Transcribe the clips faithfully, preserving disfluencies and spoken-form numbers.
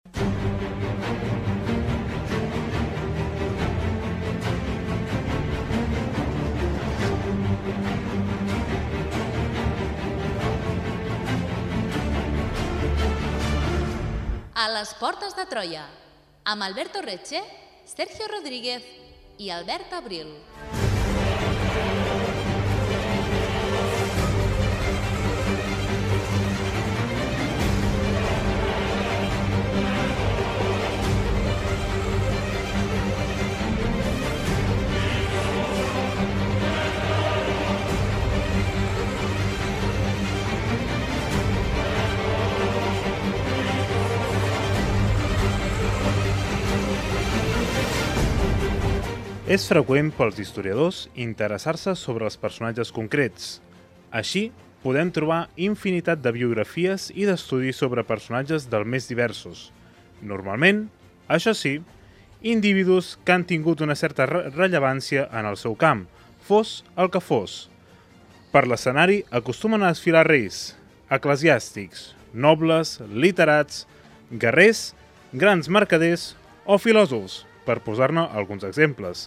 A les portes de Troia, amb Alberto Reche, Sergio Rodríguez i Albert Abril. És freqüent pels historiadors interessar-se sobre els personatges concrets. Així, podem trobar infinitat de biografies i d'estudis sobre personatges dels més diversos. Normalment, això sí, individus que han tingut una certa re rellevància en el seu camp, fos el que fos. Per l'escenari acostumen a desfilar reis, eclesiàstics, nobles, literats, guerrers, grans mercaders o filòsofs, per posar-ne alguns exemples.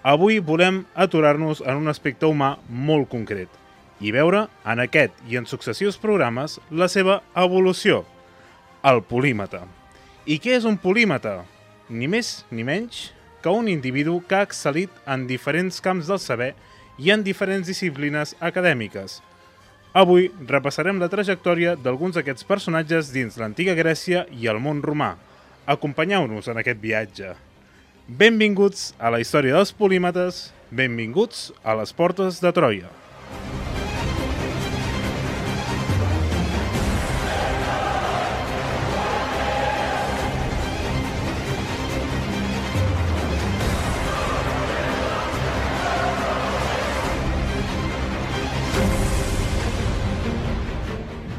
Avui volem aturar-nos en un aspecte humà molt concret i veure en aquest i en successius programes la seva evolució, el polímata. I què és un polímata? Ni més ni menys que un individu que ha excel·lit en diferents camps del saber i en diferents disciplines acadèmiques. Avui repassarem la trajectòria d'alguns d'aquests personatges dins l'antiga Grècia i el món romà. Acompanyeu-nos en aquest viatge. Benvinguts a la història dels polímates, benvinguts a les portes de Troia.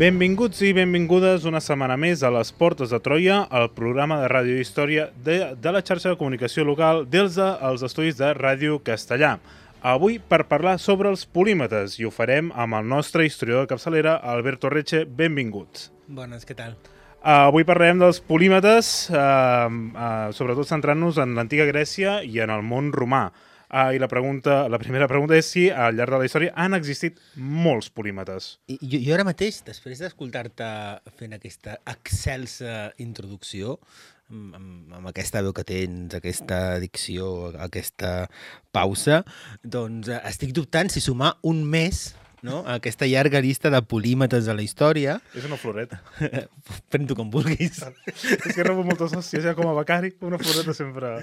Benvinguts i benvingudes una setmana més a les Portes de Troia, el programa de ràdio i història de, de la xarxa de comunicació local dels de, els estudis de Ràdio Castellà. Avui per parlar sobre els polímates i ho farem amb el nostre historiador de capçalera, Alberto Reche. Benvinguts. Bones, què tal? Uh, avui parlarem dels polímates, uh, uh, sobretot centrant-nos en l'antiga Grècia i en el món romà. Uh, I la, pregunta, la primera pregunta és si al llarg de la història han existit molts polímates. I, jo, jo ara mateix, després d'escoltar-te fent aquesta excelsa introducció, amb, amb, amb aquesta veu que tens, aquesta dicció, aquesta pausa, doncs estic dubtant si sumar un mes, no?, a aquesta llarga llista de polímates de la història. És una floreta. Pren-t'ho com vulguis. És que rebo moltes hòsties, ja com a becari, una floreta sempre...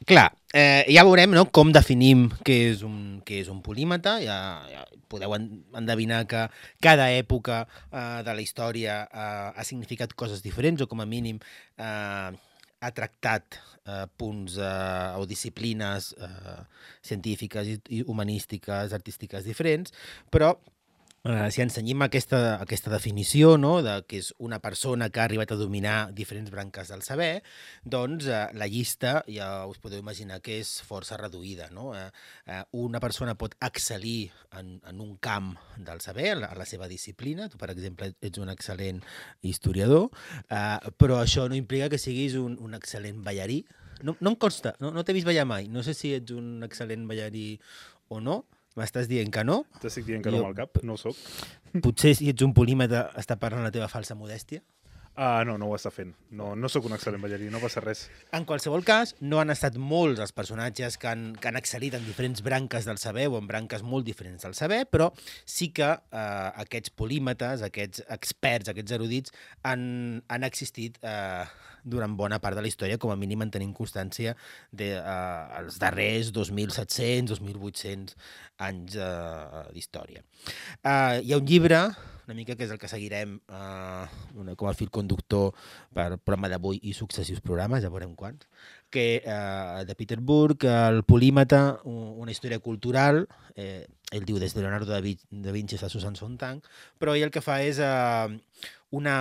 Clar, eh, ja veurem, no?, com definim què és un, què és un polímata. Ja, ja podeu endevinar que cada època eh, de la història eh, ha significat coses diferents o com a mínim eh, ha tractat eh, punts eh, o disciplines eh, científiques i, i humanístiques, artístiques diferents, però Uh, si ensenyim aquesta, aquesta definició, no?, de que és una persona que ha arribat a dominar diferents branques del saber, doncs uh, la llista ja us podeu imaginar que és força reduïda, no? Uh, uh, una persona pot excel·lir en, en un camp del saber, a la, a la seva disciplina. Tu, per exemple, ets un excel·lent historiador, uh, però això no implica que siguis un, un excel·lent ballarí. No, no em consta, no, no t'he vist ballar mai. No sé si ets un excel·lent ballarí o no. M'estàs dient que no? T'estic dient que no amb el cap, no ho soc. Potser si ets un polímata està parlant la teva falsa modèstia? Ah, no, no ho està fent. No, no sóc un excel·lent ballarí, no passa res. En qualsevol cas, no han estat molts els personatges que han, que han excel·lit en diferents branques del saber o en branques molt diferents del saber, però sí que eh, aquests polímates, aquests experts, aquests erudits, han, han existit eh, durant bona part de la història, com a mínim en tenim constància dels de, eh, darrers dos mil set-cents, dos mil vuit-cents anys eh, d'història. Eh, hi ha un llibre, una mica que és el que seguirem eh, una, com a fil conductor per el programa d'avui i successius programes, ja veurem quants, que eh, de Peter Burke, el polímata, una història cultural, eh, ell diu des de Leonardo da Vinci a Susan Sontag, però ell el que fa és eh, una,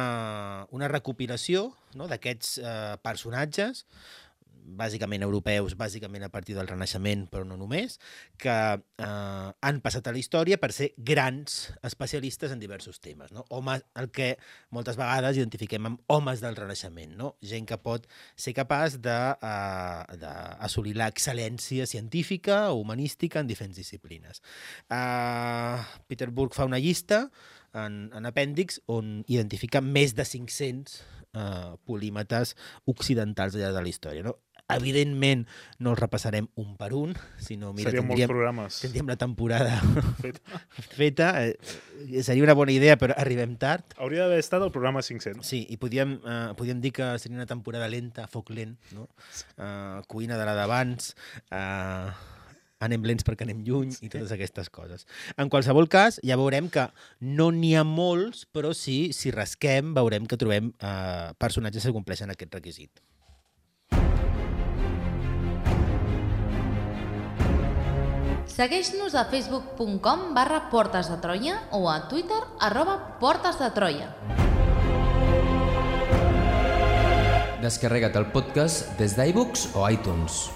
una recopilació, no?, d'aquests eh, personatges bàsicament europeus, bàsicament a partir del Renaixement, però no només, que eh, han passat a la història per ser grans especialistes en diversos temes. No? Homes, el que moltes vegades identifiquem amb homes del Renaixement, no? Gent que pot ser capaç d'assolir l'excel·lència científica o humanística en diferents disciplines. Uh, Peter Burke fa una llista en, en apèndix on identifica més de cinc-cents uh, polímates occidentals al llarg de la història. No? Evidentment no els repassarem un per un, sinó mira, serien molts programes. Tindríem la temporada feta. feta. Eh, seria una bona idea, però arribem tard. Hauria d'haver estat el programa cinc-cents. Sí, i podíem, eh, podíem dir que seria una temporada lenta, foc lent, no? Eh, cuina de la d'abans, eh, anem lents perquè anem lluny i totes aquestes coses. En qualsevol cas, ja veurem que no n'hi ha molts, però sí, si rasquem, veurem que trobem eh, personatges que compleixen aquest requisit. Segueix-nos a facebook punt com barra Portes de Troia o a Twitter arroba Portes de Troia. Descarrega't el podcast des d'iBooks o iTunes.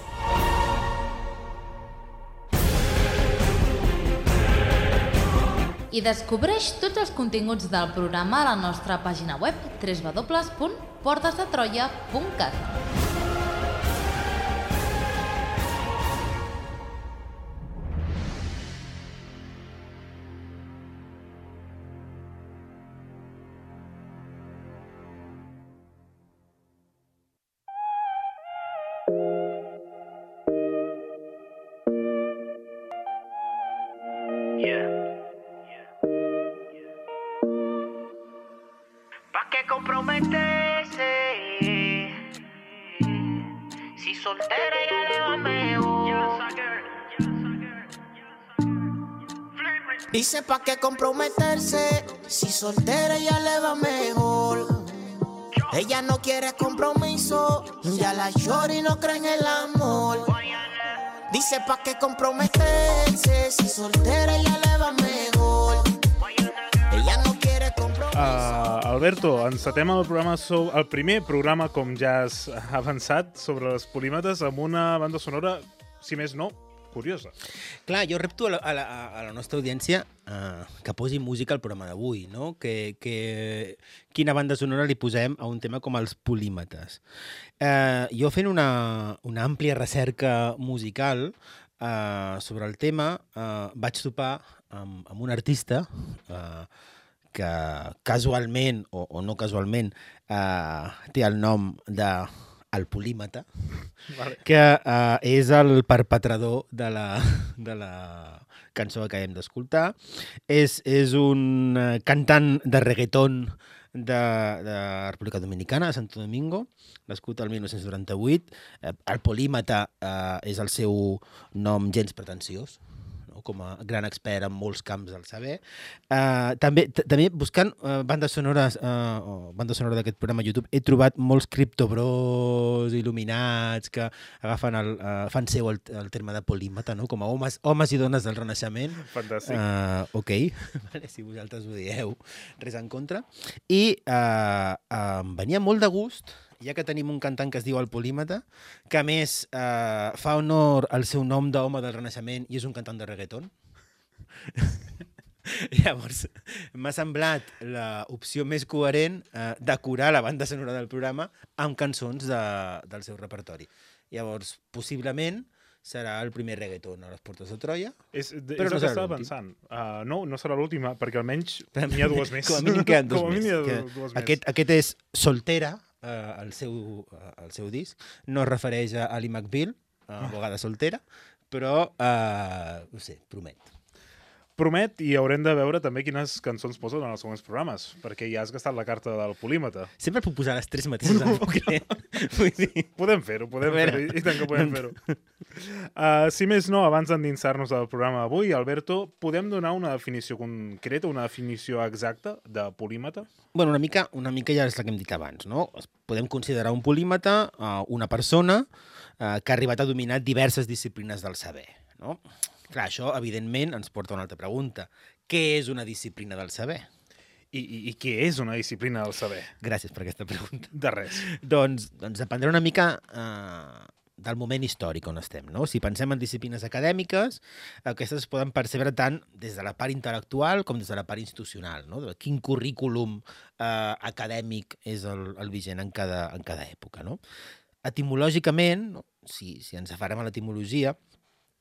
I descobreix tots els continguts del programa a la nostra pàgina web w w w punt portes de troia punt cat. Dice pa' qué comprometerse, si soltera ya le va mejor. Ella no quiere compromiso, ya la shorty no cree en el amor. Dice pa' qué comprometerse, si soltera ya le va mejor. Ella no quiere compromiso. Uh, Alberto, encetem el, programa so el primer programa, com ja has avançat, sobre les polímetes amb una banda sonora, si més no, curiosa. Clar, jo repto a la, a la, a la nostra audiència uh, que posi música al programa d'avui, no? Que, que quina banda sonora li posem a un tema com els polímetes. Uh, jo fent una, una àmplia recerca musical uh, sobre el tema, uh, vaig topar amb, amb un artista uh, que casualment, o, o no casualment, uh, té el nom de el polímata, vale. que uh, és el perpetrador de la, de la cançó que hem d'escoltar. És, és un uh, cantant de reggaeton de, de República Dominicana, de Santo Domingo, nascut el mil nou-cents noranta-vuit. Uh, el polímata uh, és el seu nom gens pretensiós, com a gran expert en molts camps del saber. Uh, també, també buscant uh, bandes sonores uh, o banda sonora d'aquest programa a YouTube, he trobat molts criptobros il·luminats que agafen el, uh, fan seu el, el terme de polímata, no? Com a homes, homes i dones del Renaixement. Fantàstic. Uh, ok, vale, si vosaltres ho dieu, res en contra. I uh, uh, em venia molt de gust, ja que tenim un cantant que es diu el Polímata, que a més eh, fa honor al seu nom d'home del Renaixement i és un cantant de reggaeton. Llavors, m'ha semblat l'opció més coherent eh, decorar la banda sonora del programa amb cançons de, del seu repertori. Llavors, possiblement, serà el primer reggaeton a les Portes de Troia. És, de, però és no el que serà estava pensant. Uh, no, no serà l'última, perquè almenys n'hi ha dues més. Com a mínim queden dos Com a més. mínim Que, dues aquest, més. aquest és Soltera, eh, el, seu, eh, el seu disc. No es refereix a Ali McBeal, a abogada soltera, però, eh, no sé, promet. Promet, i haurem de veure també quines cançons posen en els següents programes, perquè ja has gastat la carta del polímata. Sempre puc posar les tres mateixes en bucle. Vull dir... Podem fer-ho, podem fer-ho, i tant que podem fer-ho. Uh, si més no, abans d'endinsar-nos al programa d'avui, Alberto, podem donar una definició concreta, una definició exacta de polímata? Bueno, una mica, una mica ja és la que hem dit abans, no? Podem considerar un polímata uh, una persona uh, que ha arribat a dominar diverses disciplines del saber, no? Clar, això, evidentment, ens porta a una altra pregunta. Què és una disciplina del saber? I, i, i què és una disciplina del saber? Gràcies per aquesta pregunta. De res. doncs, doncs dependrà una mica eh, del moment històric on estem. No? Si pensem en disciplines acadèmiques, aquestes es poden percebre tant des de la part intel·lectual com des de la part institucional. No? De quin currículum eh, acadèmic és el, el vigent en cada, en cada època. No? Etimològicament, no? si, si ens afarem a l'etimologia,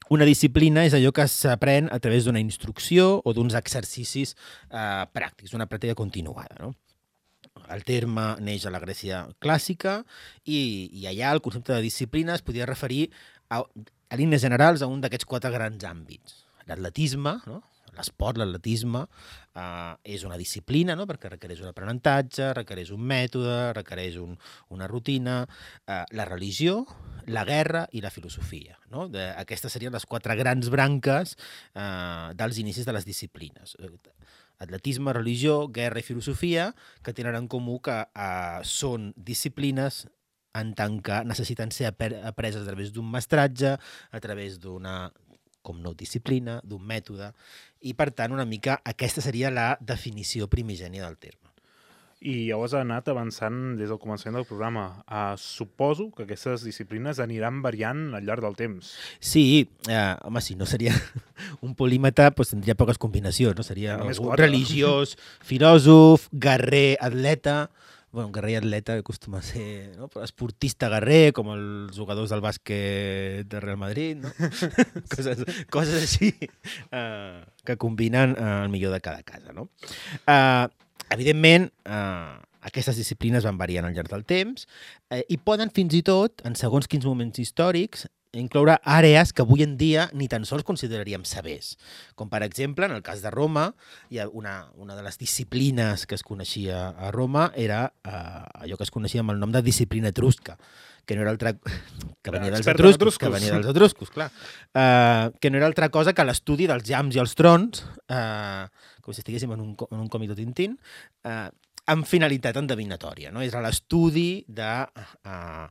una disciplina és allò que s'aprèn a través d'una instrucció o d'uns exercicis eh, pràctics, una pràctica continuada. No? El terme neix a la Grècia clàssica i, i allà el concepte de disciplina es podia referir a, a línies generals a un d'aquests quatre grans àmbits. L'atletisme, no? L'esport, l'atletisme, eh, és una disciplina, no? Perquè requereix un aprenentatge, requereix un mètode, requereix un, una rutina. Eh, la religió, la guerra i la filosofia. No? De, aquestes serien les quatre grans branques eh, dels inicis de les disciplines. Atletisme, religió, guerra i filosofia, que tenen en comú que eh, són disciplines en tant que necessiten ser apreses a través d'un mestratge, a través d'una, com no, disciplina, d'un mètode, i per tant una mica aquesta seria la definició primigènia del terme. I llavors ha anat avançant des del començament del programa. Uh, suposo que aquestes disciplines aniran variant al llarg del temps. Sí, eh, home, si no seria un polímata, doncs tindria poques combinacions, no? Seria algú religiós, filòsof, guerrer, atleta. Bueno, guerrer i atleta acostuma a ser, no? Però esportista guerrer, com els jugadors del bàsquet de Real Madrid, no? coses, coses així eh, que combinen eh, el millor de cada casa, no? Eh, Evidentment, eh, aquestes disciplines van variant al llarg del temps eh, i poden fins i tot, en segons quins moments històrics, incloure àrees que avui en dia ni tan sols consideraríem sabers. Com, per exemple, en el cas de Roma, hi ha una, una de les disciplines que es coneixia a Roma era eh, allò que es coneixia amb el nom de disciplina etrusca, que no era altra... que venia dels etruscos, que venia dels etruscos, clar. Uh, que no era altra cosa que l'estudi dels llamps i els trons, uh, com si estiguéssim en un, en un còmic de Tintín, uh, amb finalitat endevinatòria. No? Era l'estudi de uh,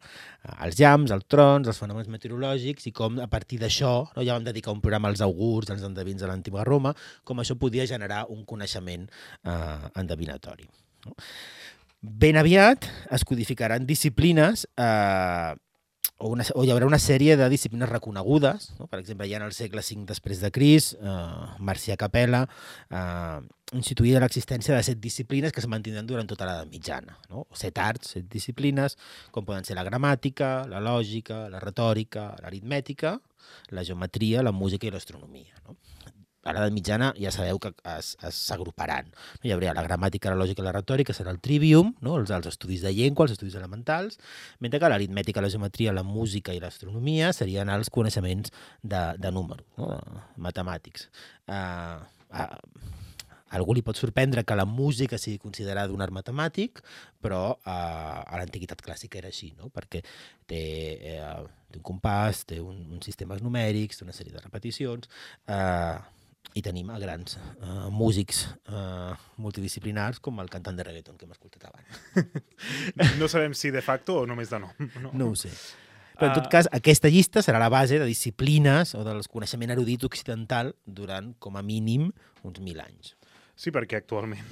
els llamps, els trons, els fenòmens meteorològics i com a partir d'això, no? Ja vam dedicar un programa als augurs, als endevins de l'antiga Roma, com això podia generar un coneixement uh, endevinatori. No? Ben aviat es codificaran disciplines eh, o, una, o hi haurà una sèrie de disciplines reconegudes. No? Per exemple, ja en el segle cinc després de Crist, eh, Marcià Capella eh, instituïa l'existència de set disciplines que es mantindran durant tota l'edat mitjana. No? Set arts, set disciplines, com poden ser la gramàtica, la lògica, la retòrica, l'aritmètica, la geometria, la música i l'astronomia. No? A l'edat mitjana ja sabeu que s'agruparan. Hi hauria la gramàtica, la lògica i la retòrica, serà el trivium, no? els, els estudis de llengua, els estudis elementals, mentre que l'aritmètica, la geometria, la música i l'astronomia serien els coneixements de, de números, no? Matemàtics. Uh, uh, a algú li pot sorprendre que la música sigui considerada un art matemàtic, però uh, a l'antiguitat clàssica era així, no? Perquè té, uh, té un compàs, té un, uns sistemes numèrics, té una sèrie de repeticions... Uh, i tenim a grans uh, músics uh, multidisciplinars com el cantant de reggaeton que hem escoltat abans. No sabem si de facto o només de nom. No, no ho sé. Però en tot cas, aquesta llista serà la base de disciplines o del coneixement erudit occidental durant, com a mínim, uns mil anys. Sí, perquè actualment,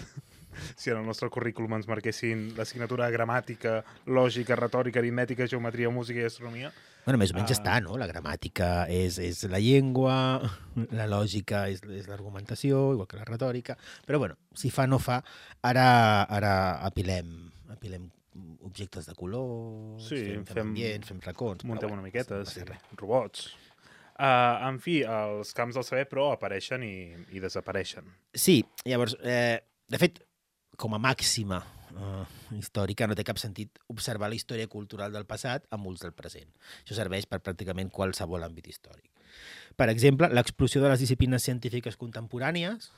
si en el nostre currículum ens marquessin l'assignatura de gramàtica, lògica, retòrica, aritmètica, geometria, música i astronomia... Bueno, més o menys uh... està, no? La gramàtica és, és la llengua, la lògica és, és l'argumentació, igual que la retòrica, però bueno, si fa no fa, ara, ara apilem, apilem objectes de color, sí, fem, fem ambients, fem racons... Muntem bueno, una miqueta, no sí, robots... Uh, en fi, els camps del saber, però, apareixen i, i desapareixen. Sí, llavors, eh, de fet, com a màxima uh, històrica, no té cap sentit observar la història cultural del passat amb ulls del present. Això serveix per pràcticament qualsevol àmbit històric. Per exemple, l'explosió de les disciplines científiques contemporànies,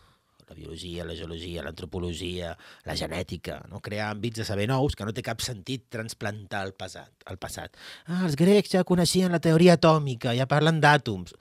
la biologia, la geologia, l'antropologia, la genètica, no? Crear àmbits de saber nous que no té cap sentit transplantar al passat. Al passat. Ah, els grecs ja coneixien la teoria atòmica, ja parlen d'àtoms.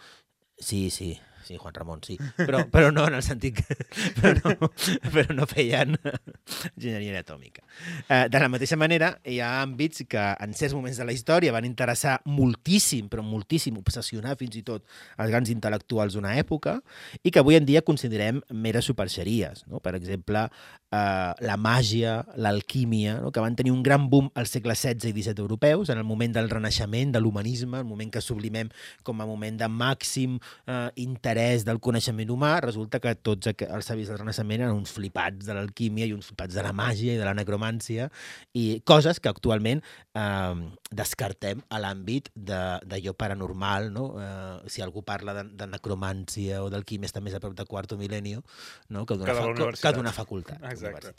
Sí, sí, sí, Juan Ramon, sí. Però, però no en el sentit que... Però no, però no feien enginyeria atòmica. Eh, de la mateixa manera, hi ha àmbits que en certs moments de la història van interessar moltíssim, però moltíssim, obsessionar fins i tot els grans intel·lectuals d'una època i que avui en dia considerem meres superxeries. No? Per exemple, eh, la màgia, l'alquímia, no? que van tenir un gran boom al segle setze i disset europeus, en el moment del renaixement, de l'humanisme, el moment que sublimem com a moment de màxim eh, interès del coneixement humà, resulta que tots els savis del Renaixement eren uns flipats de l'alquímia i uns flipats de la màgia i de la necromància, i coses que actualment eh, descartem a l'àmbit d'allò paranormal, no? Eh, si algú parla de, de necromància o d'alquímia està més a prop de quarto mil·lenni, no? que d'una fa facultat. Exacte.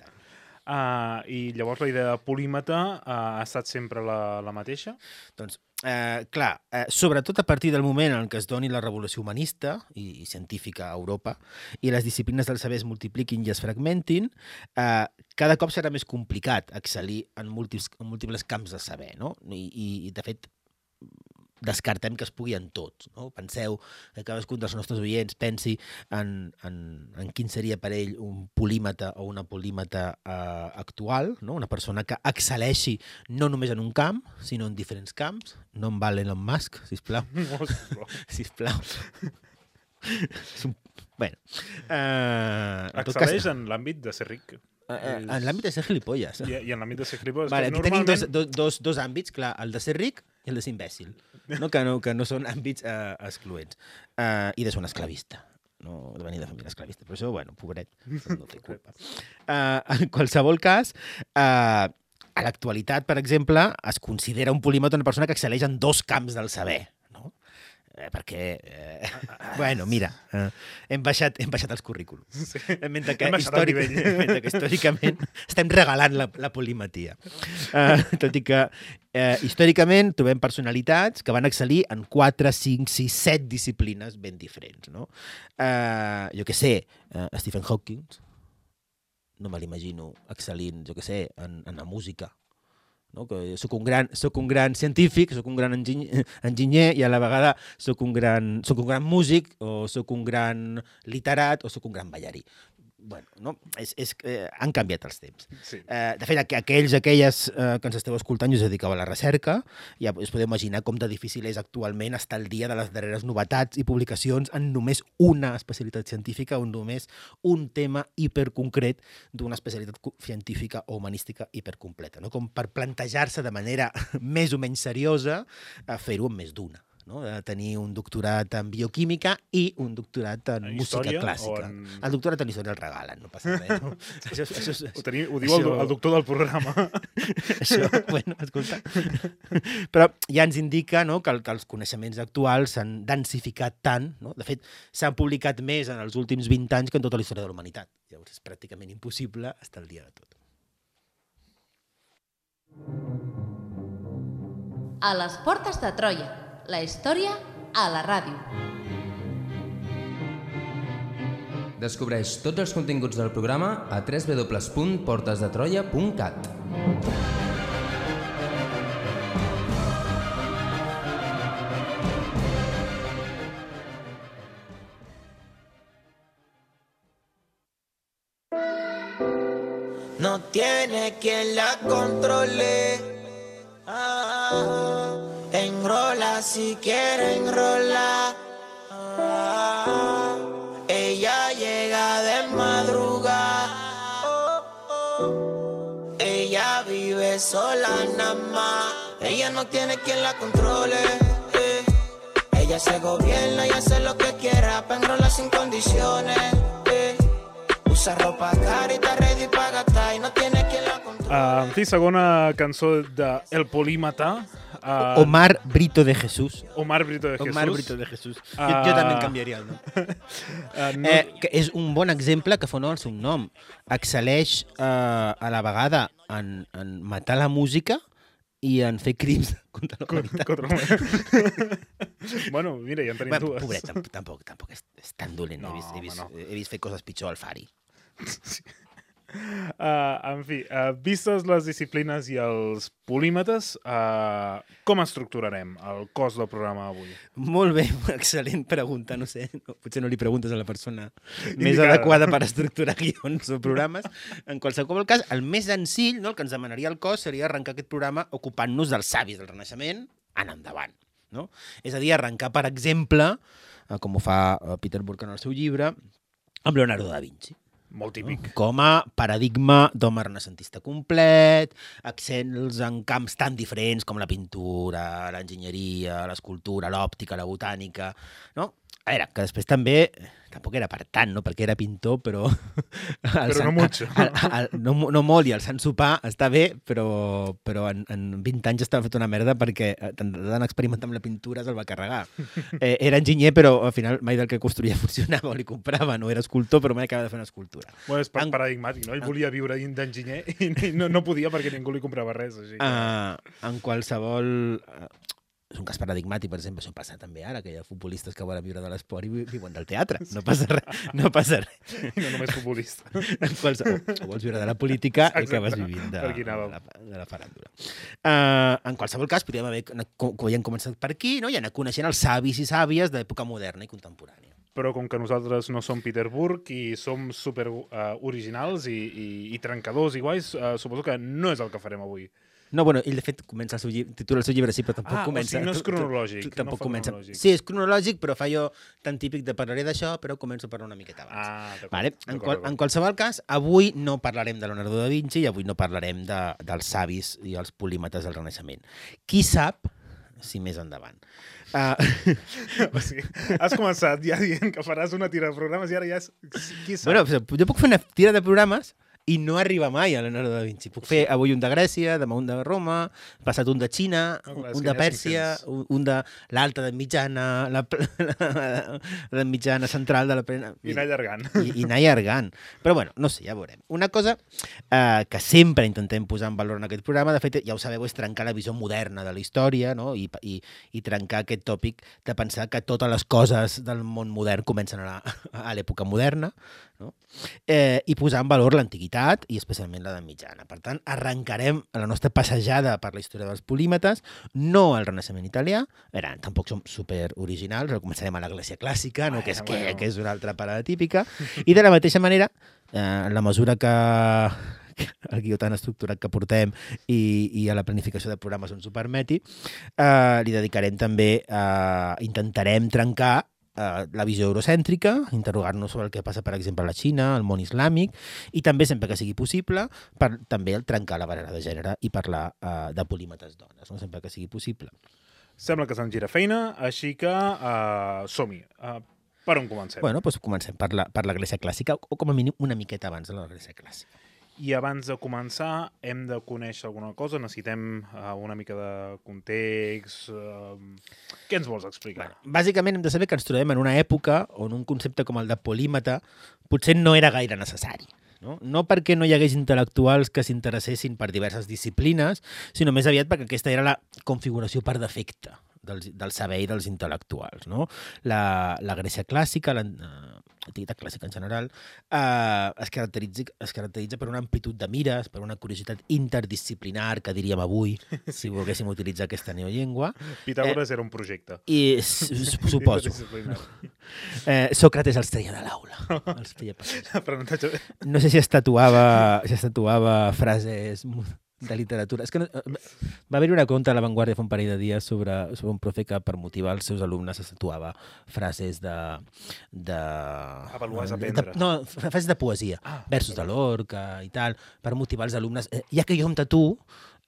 Uh, I llavors la idea de polímata uh, ha estat sempre la, la mateixa? Doncs, eh, clar, eh, sobretot a partir del moment en què es doni la revolució humanista i, i científica a Europa i les disciplines del saber es multipliquin i es fragmentin, eh, cada cop serà més complicat excel·lir en múltiples, en múltiples camps de saber, no? I, i, i de fet, descartem que es pugui en tots. No? Penseu que cadascun dels nostres oients pensi en, en, en quin seria per ell un polímata o una polímata eh, actual, no? Una persona que excel·leixi no només en un camp, sinó en diferents camps. No em val Elon Musk, sisplau. Sisplau. Bueno. Eh, excel·leix en l'àmbit de ser ric. Uh, en l'àmbit de ser gilipolles. I, i en l'àmbit de ser gilipolles. Vale, aquí normalment... tenim dos, dos, dos àmbits, clar, el de ser ric i el de ser imbècil, no? Que, no, que no són àmbits uh, excloents. Uh, I de ser un esclavista, no de venir de família esclavista. Però això, bueno, pobret, no té culpa. Uh, en qualsevol cas, uh, a l'actualitat, per exemple, es considera un polímata una persona que excel·leix en dos camps del saber. Eh, perquè, eh, bueno, mira, eh, hem, baixat, hem baixat els currículums. Sí. Mentre, que històric, mentre que històricament estem regalant la, la polimatia. Eh, tot i que eh, històricament trobem personalitats que van excel·lir en quatre, cinc, sis, set disciplines ben diferents. No? Eh, jo què sé, eh, Stephen Hawking, no me l'imagino excel·lint, jo què sé, en, en la música. No? Que soc un gran, soc un gran científic, soc un gran enginyer, enginyer i a la vegada soc un gran, soc un gran músic o soc un gran literat o soc un gran ballarí. Bueno, no? és, és, eh, han canviat els temps. Sí. Eh, de fet, aqu aquells, aquelles eh, que ens esteu escoltant i us dediqueu a la recerca, ja us podeu imaginar com de difícil és actualment estar al dia de les darreres novetats i publicacions en només una especialitat científica o només un tema hiperconcret d'una especialitat científica o humanística hipercompleta. No? Com per plantejar-se de manera més o menys seriosa a fer-ho amb més d'una. No? De tenir un doctorat en bioquímica i un doctorat en, en música clàssica. En... El doctorat en història el regalen, no passa res. No? això, això, això, ho, teniu, ho diu això... el, el doctor del programa. Això, bueno, escolta. Però ja ens indica, no, que, el, que els coneixements actuals s'han densificat tant, no? De fet, s'han publicat més en els últims vint anys que en tota la història de la humanitat. Llavors és pràcticament impossible estar al dia de tot. A les portes de Troia. La història a la ràdio. Descobreix tots els continguts del programa a w w w punt portes de troia punt cat. No tiene quien la controle. Ah, enrola si quiere enrolar. Ah, ella llega de madrugada. Oh, oh. Ella vive sola nada más. Ella no tiene quien la controle. Eh. Ella se gobierna y hace lo que quiera, pero enrola sin condiciones. Eh. Usa ropa cara y está ready para gastar y no tiene quien la controle. Uh, en fi, segona cançó de El Polímata. Uh, Omar Brito de Jesús. Omar Brito de Jesús. Omar Brito de Jesús. Uh, jo, jo també en canviaria el nom. uh, no... eh, que és un bon exemple que fa honor al seu nom. Excel·leix uh, a la vegada en, en matar la música i en fer crims contra la humanitat. Contra la... bueno, mira, ja en tenim bueno, dues. Pobret, tampoc, tampoc és, és tan dolent. No, he, vist, he, vist, no. he vist fer coses pitjor al Fari. Sí. Uh, en fi, uh, vistes les disciplines i els polímetres, uh, com estructurarem el cos del programa avui? Molt bé, excel·lent pregunta, no sé, no, potser no li preguntes a la persona Indicada. més adequada per estructurar guions o programes. En qualsevol cas, el més senzill, no, el que ens demanaria el cos seria arrencar aquest programa ocupant-nos dels savis del Renaixement en endavant. No? És a dir, arrencar, per exemple, eh, com ho fa eh, Peter Burke en el seu llibre, amb Leonardo da Vinci. Molt típic. Com a paradigma d'home renaixentista complet, accents en camps tan diferents com la pintura, l'enginyeria, l'escultura, l'òptica, la botànica, no? A veure, que després també, tampoc era per tant, no? Perquè era pintor, però... Però Sant, no mucho. El, el, el, no, no molt, i el Sant Sopar està bé, però, però en, en vint anys estava fet una merda perquè tant experimentar amb la pintura se'l va carregar. Eh, era enginyer, però al final mai del que construïa funcionava o li comprava. No era escultor, però mai acaba de fer una escultura. Bueno, és En- paradigmàtic, no? Ell volia viure d'enginyer i no, no podia perquè ningú li comprava res. Així. que- Uh, en qualsevol... Uh, és un cas paradigmàtic, per exemple, això passa també ara, que hi ha futbolistes que volen viure de l'esport i vi- viuen del teatre. No passa res. No passa res. I no només futbolista. En qualsevol... O vols viure de la política i Exacte. acabes vivint de, Per aquí de, anàvem. la, de la faràndula. Uh, en qualsevol cas, podríem haver, com com ja hem començat per aquí, no? I anar coneixent els savis i sàvies d'època moderna i contemporània. Però com que nosaltres no som Peter Burke i som super uh, originals i, i, i trencadors i guais, uh, suposo que no és el que farem avui. No, bueno, ell de fet comença el seu llibre, titula el seu llibre, sí, però tampoc Ah, o comença... sigui, no és tu- tu- cronològic, tu- no Tampoc fa comença... cronològic. Sí, és cronològic, però fa jo tan típic de parlaré d'això, però començo a parlar una miqueta abans. Ah, d'acord. Vale? En, D'acord, qual, d'acord. en qualsevol cas, avui no parlarem de Leonardo da Vinci i avui no parlarem de, dels savis i els polímetres del Renaixement. Qui sap si més endavant. Uh, O sigui, has començat ja dient que faràs una tira de programes i ara ja és... Qui sap? bueno, jo puc fer una tira de programes i no arriba mai a Leonardo da Vinci. Puc fer avui un de Grècia, demà un de Roma, passat un de Xina, Ah, clar, és un que de ja Pèrsia, cinc-cents. un, un de l'alta de mitjana, la, la, la mitjana central de la plena... I anar allargant. I, i anar allargant. Però bueno, no sé, ja veurem. Una cosa eh, que sempre intentem posar en valor en aquest programa, de fet, ja ho sabeu, és trencar la visió moderna de la història, no? I, i, i trencar aquest tòpic de pensar que totes les coses del món modern comencen a la- a l'època moderna, no? eh, i posar en valor l'antiguitat i especialment l'edat mitjana. Per tant, arrencarem la nostra passejada per la història dels polímetres, no al Renaixement italià, era, tampoc som super originals, però començarem a la Grècia clàssica, no? Bueno, que, és, bueno. que, que és una altra parada típica, i de la mateixa manera, eh, en la mesura que el guió tan estructurat que portem i, i a la planificació de programes ens ho permeti, eh, li dedicarem també, eh, intentarem trencar eh, la visió eurocèntrica, interrogar-nos sobre el que passa, per exemple, a la Xina, al món islàmic, i també, sempre que sigui possible, per també el trencar la barrera de gènere i parlar eh, de polímetres dones, no? Sempre que sigui possible. Sembla que se'n gira feina, així que uh, som-hi. Uh, per on comencem? Bueno, doncs comencem per la, per la Grècia clàssica, o com a mínim una miqueta abans de la Grècia clàssica. I abans de començar, hem de conèixer alguna cosa? Necessitem uh, una mica de context? Uh, què ens vols explicar? Bueno, bàsicament hem de saber que ens trobem en una època on un concepte com el de polímata potser no era gaire necessari. No? no perquè no hi hagués intel·lectuals que s'interessessin per diverses disciplines, sinó més aviat perquè aquesta era la configuració per defecte del, del saber i dels intel·lectuals. No? La, la Grècia clàssica, l'antiguitat clàssica en general, eh, es, caracteritza, es caracteritza per una amplitud de mires, per una curiositat interdisciplinar, que diríem avui, si volguéssim utilitzar aquesta neollengua. Pitàgores eh, era un projecte. I s- s- suposo. Interdisciplinari. Eh, Sòcrates els treia de l'aula. Els feia passar. Aprenentatge... No sé si es tatuava, si es tatuava frases de literatura. És que no, va haver-hi una conta a La Vanguardia fa un parell de dies sobre, sobre un profe que per motivar els seus alumnes es tatuava frases de... de Avaluar és de- aprendre. de- no, frases de poesia, Ah, versos de Lorca i tal, per motivar els alumnes. Eh, ja que jo em tatuo,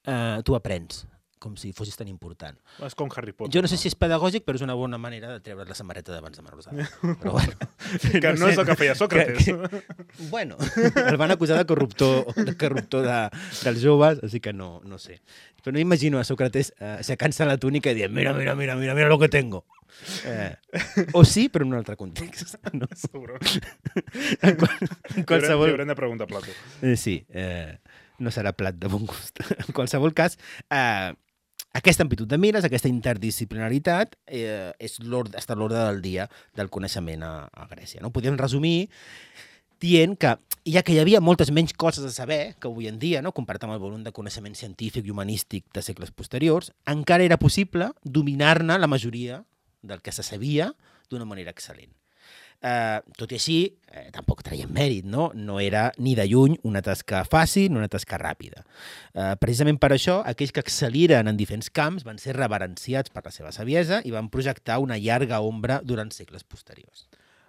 eh, tu aprens, com si fossis tan important. És com Harry Potter. Jo no sé si és pedagògic, però és una bona manera de treure la samarreta d'abans de Marrosada. Però bueno. Que no, és el que feia Sòcrates. Que, que, bueno, el van acusar de corruptor, de corruptor de, dels joves, així que no, no sé. Però no imagino a Sòcrates eh, aixecant-se la túnica i dient mira, mira, mira, mira, mira lo que tengo. Eh, o sí, però en un altre context. No? Seguro. En, qual, en Li qualsevol... haurem de preguntar a Plato. Eh, sí, eh, no serà plat de bon gust. En qualsevol cas, eh, aquesta amplitud de mires, aquesta interdisciplinaritat, eh, és l'ordre, està a l'ordre del dia del coneixement a, a Grècia. No? Podem resumir dient que, ja que hi havia moltes menys coses a saber que avui en dia, no? Comparat amb el volum de coneixement científic i humanístic de segles posteriors, encara era possible dominar-ne la majoria del que se sabia d'una manera excel·lent. Eh, tot i així, eh, tampoc traiem mèrit, no? No era ni de lluny una tasca fàcil ni una tasca ràpida. Eh, precisament per això, aquells que excel·liren en diferents camps van ser reverenciats per la seva saviesa i van projectar una llarga ombra durant segles posteriors.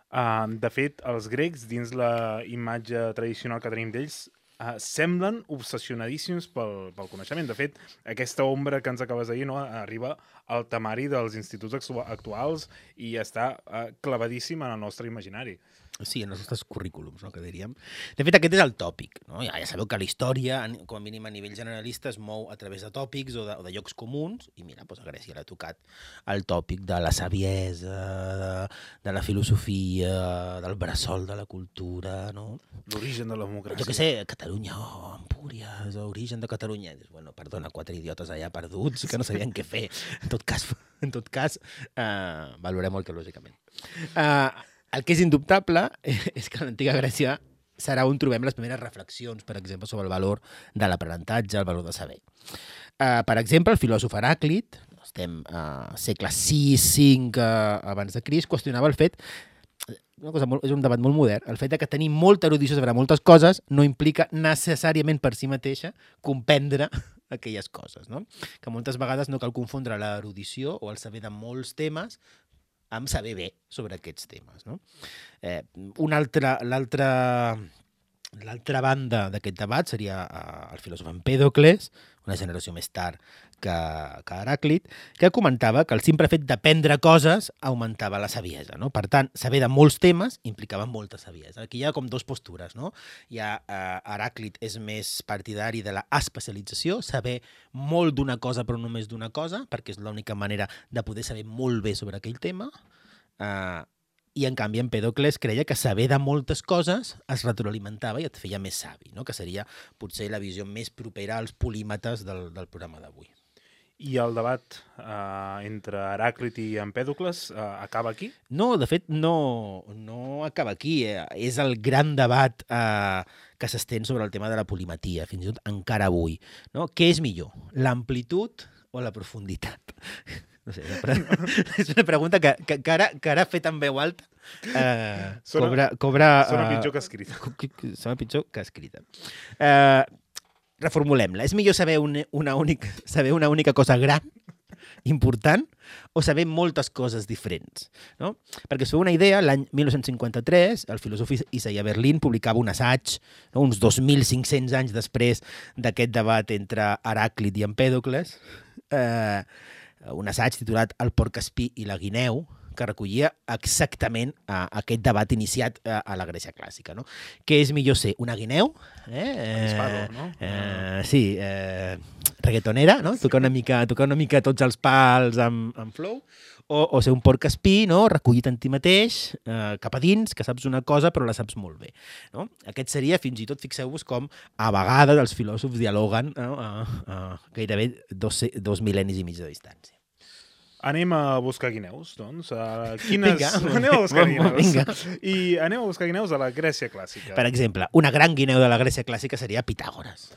Uh, de fet, els grecs, dins la imatge tradicional que tenim d'ells, uh, semblen obsessionadíssims pel, pel coneixement. De fet, aquesta ombra que ens acabes de dir, no, arriba al temari dels instituts actuals i està uh, clavadíssim en el nostre imaginari. Sí, en els nostres currículums, no, que diríem. De fet, aquest és el tòpic. No? Ja, ja sabeu que la història, com a mínim a nivell generalista, es mou a través de tòpics o de, o de llocs comuns, i mira, doncs a Grècia l'ha tocat el tòpic de la saviesa, de, de la filosofia, del bressol de la cultura, no? L'origen de la democràcia. Jo què sé, Catalunya, oh, Empúries, l'origen de Catalunya. Bueno, perdona, quatre idiotes allà perduts que no sabien què fer. En tot cas, en tot cas uh, valorem arqueològicament. Uh, El que és indubtable és que a l'antiga Grècia serà on trobem les primeres reflexions, per exemple, sobre el valor de l'aprenentatge, el valor de saber. Uh, per exemple, el filòsof Heràclit, estem a uh, segle sis cinc uh, abans de Crist, qüestionava el fet, una cosa molt, és un debat molt modern, el fet de que tenir molta erudició sobre moltes coses no implica necessàriament per si mateixa comprendre aquelles coses, no? Que moltes vegades no cal confondre l'erudició o el saber de molts temes amb saber bé sobre aquests temes, no? Eh, una altra, l'altra, l'altra banda d'aquest debat seria eh, el filòsof Empèdocles, una generació més tard que, que Heràclit, que comentava que el simple fet d'aprendre coses augmentava la saviesa, no? Per tant, saber de molts temes implicava molta saviesa. Aquí hi ha com dos postures, no? Hi ha, eh, Heràclit és més partidari de la especialització, saber molt d'una cosa però només d'una cosa, perquè és l'única manera de poder saber molt bé sobre aquell tema, eh, i en canvi Empèdocles creia que saber de moltes coses es retroalimentava i et feia més savi, no? Que seria potser la visió més propera als polímates del, del programa d'avui. I el debat eh, entre Heràclit i Empèdocles eh, acaba aquí? No, de fet, no, no acaba aquí. Eh? És el gran debat eh, que s'estén sobre el tema de la polimatia, fins i tot encara avui. No? Què és millor, l'amplitud o la profunditat? No sé, és una pregunta que, que, que, ara, que ara fet en veu alta eh, sona, cobra, cobra, sona uh, pitjor que escrita. Sona pitjor que escrita. Eh, reformulem-la. És millor saber una, una, única, saber una única cosa gran, important, o saber moltes coses diferents, no? Perquè us feu una idea, l'any mil nou-cents cinquanta-tres, el filòsof Isaiah Berlin publicava un assaig, no? Uns dos mil cinc-cents anys després d'aquest debat entre Heràclit i Empèdocles, eh, un assaig titulat El porc espí i la guineu, que recollia exactament uh, aquest debat iniciat uh, a la Grècia clàssica, no? Què és millor ser una guineu? Eh? Avispado, no? Eh, sí, eh, reggaetonera, no? Tocar una mica, tocar una mica tots els pals amb, amb flow, o, o ser un porc espí, no? Recollit en ti mateix, eh, cap a dins, que saps una cosa però la saps molt bé, no? Aquest seria, fins i tot, fixeu-vos com a vegades els filòsofs dialoguen, no? a, a gairebé dos, dos mil·lennis i mig de distància. Anem a buscar guineus, doncs. Uh, quines... Vinga, anem a buscar guineus. Vinga. I anem a buscar guineus a la Grècia clàssica. Per exemple, una gran guineu de la Grècia clàssica seria Pitàgores.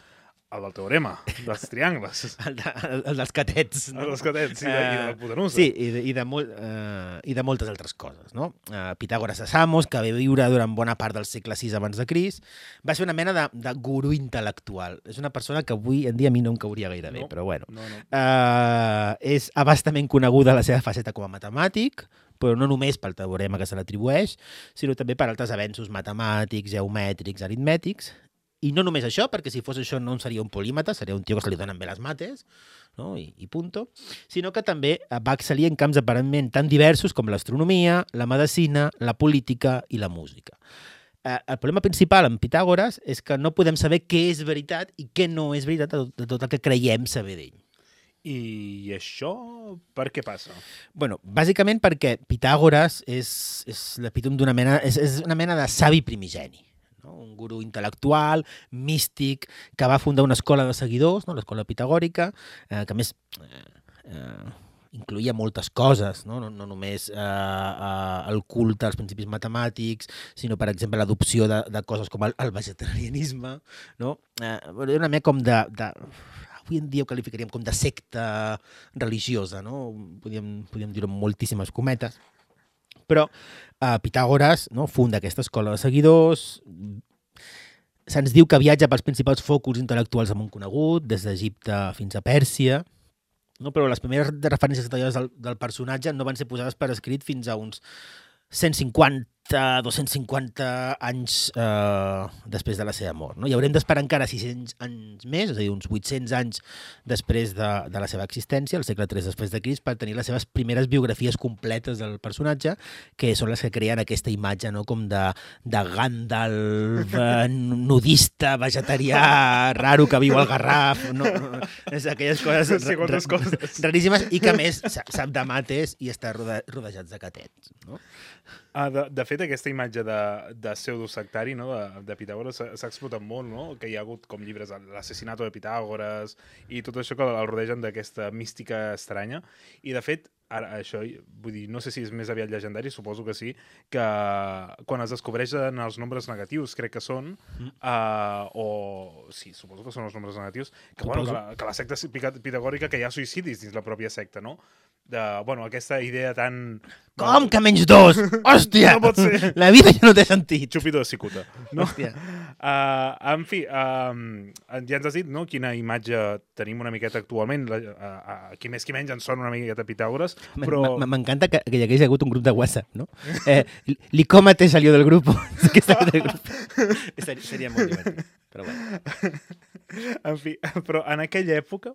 El del teorema, dels triangles. El, de, el dels catets. No? El dels catets, i de, uh, i de la hipotenusa. Sí, i de, i, de molt, uh, i de moltes altres coses, no? Uh, Pitàgores de Samos, que va viure durant bona part del segle sis abans de Crist, va ser una mena de, de gurú intel·lectual. És una persona que avui en dia a mi no em cauria gaire bé, no, però bueno. No, no. Uh, és abastament coneguda la seva faceta com a matemàtic, però no només pel teorema que se l'atribueix, sinó també per altres avenços matemàtics, geomètrics, aritmètics. I no només això, perquè si fos això no seria un polímata, seria un tio que se li donen bé les mates, no? I, i punto, sinó que també va excel·lir en camps aparentment tan diversos com l'astronomia, la medicina, la política i la música. Eh, el problema principal en Pitàgores és que no podem saber què és veritat i què no és veritat de tot el que creiem saber d'ell. I això per què passa? Bueno, bàsicament perquè Pitàgores és, és l'epítome d'una mena, és, és una mena de savi primigeni. No? Un gurú intel·lectual, místic, que va fundar una escola de seguidors, no? L'escola pitagòrica, eh, que a més eh, eh, incloïa moltes coses, no, no, no només eh, eh, el culte als principis matemàtics, sinó, per exemple, l'adopció de, de coses com el, el vegetarianisme, no? Eh, era una mica com de, de... Avui en dia ho qualificaríem com de secta religiosa, no? Podríem, podríem dir-ho amb moltíssimes cometes. Però eh, Pitàgores, no, funda aquesta escola de seguidors. Se'ns diu que viatja pels principals focus intel·lectuals del món conegut, des d'Egipte fins a Pèrsia, no? Però les primeres referències detallades del, del personatge no van ser posades per escrit fins a uns cent cinquanta, dos-cents cinquanta anys eh, després de la seva mort. No? I haurem d'esperar encara sis-cents anys més, és a dir, uns vuit-cents anys després de, de la seva existència, al segle tres després de Crist, per tenir les seves primeres biografies completes del personatge, que són les que creen aquesta imatge, no? Com de, de Gandalf, eh, nudista, vegetarià, raro, que viu al Garraf, no? És aquelles coses, sí, ra coses raríssimes i que, a més, sap de mates i està rode rodejats de catets. No? Ah, de, de fet, aquesta imatge de, de pseudosectari, no? de, de Pitàgores s'ha explotat molt, no? Que hi ha hagut com llibres, l'assassinato de Pitàgores i tot això que el rodegen d'aquesta mística estranya. I, de fet, ara, això, vull dir, no sé si és més aviat llegendari, suposo que sí, que quan es descobreixen els nombres negatius, crec que són, mm. uh, o... Sí, suposo que són els nombres negatius, que, bueno, que, la, que la secta pitagòrica, que hi ha suïcidis dins la pròpia secta, no? De, bueno, aquesta idea tan... Com que menys dos? Hòstia! No pot ser. La vida ja no té sentit. Xupido de cicuta. No? Hòstia. Uh, en fi, uh, ja ens has dit, no?, quina imatge tenim una miqueta actualment. Uh, uh, qui més qui menys ens sona una miqueta Pitàgores, però... M'encanta que, que hi hagués hagut un grup de WhatsApp, no? Eh, L'icómate salió del grup. del grup. Seria, seria molt divertit, però bueno. En fi, però en aquella època,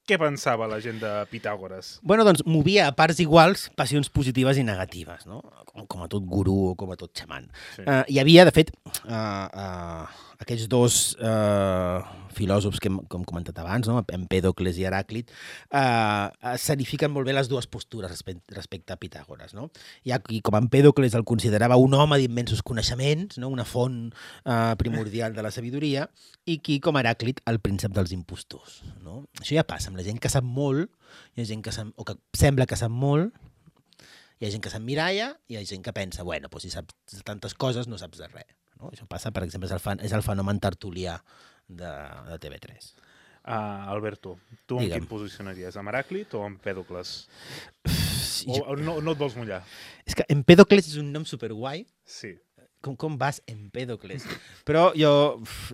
què pensava la gent de Pitàgores? Bueno, doncs movia a parts iguals passions positives i negatives, no? Com, com a tot gurú o com a tot xaman. Sí. Uh, hi havia, de fet, uh, uh, aquests dos uh, filòsofs que hem, com hem comentat abans, no? Empèdocles i Heràclit, uh, s'edifiquen molt bé les dues postures respecte, respecte a Pitàgores. No? Hi ha qui, com Empèdocles, el considerava un home d'immensos coneixements, no? Una font uh, primordial de la sabidoria, i qui, com Heràclit, el príncep dels impostors. No? Això ja passa amb la gent que sap molt, hi ha gent que sap, o que sembla que sap molt, hi ha gent que s'emmiralla i hi ha gent que pensa, bueno, doncs si saps tantes coses no saps de res. No? Això passa, per exemple, és el, fan, és el fenomen tertulià de, de T V tres. Uh, Alberto, tu en quin posicionaries? Amb Heràclit o amb Empèdocles? O, o no, no et vols mullar? És que Empèdocles és un nom superguai. Sí. Com, com vas, Empèdocles? Però jo,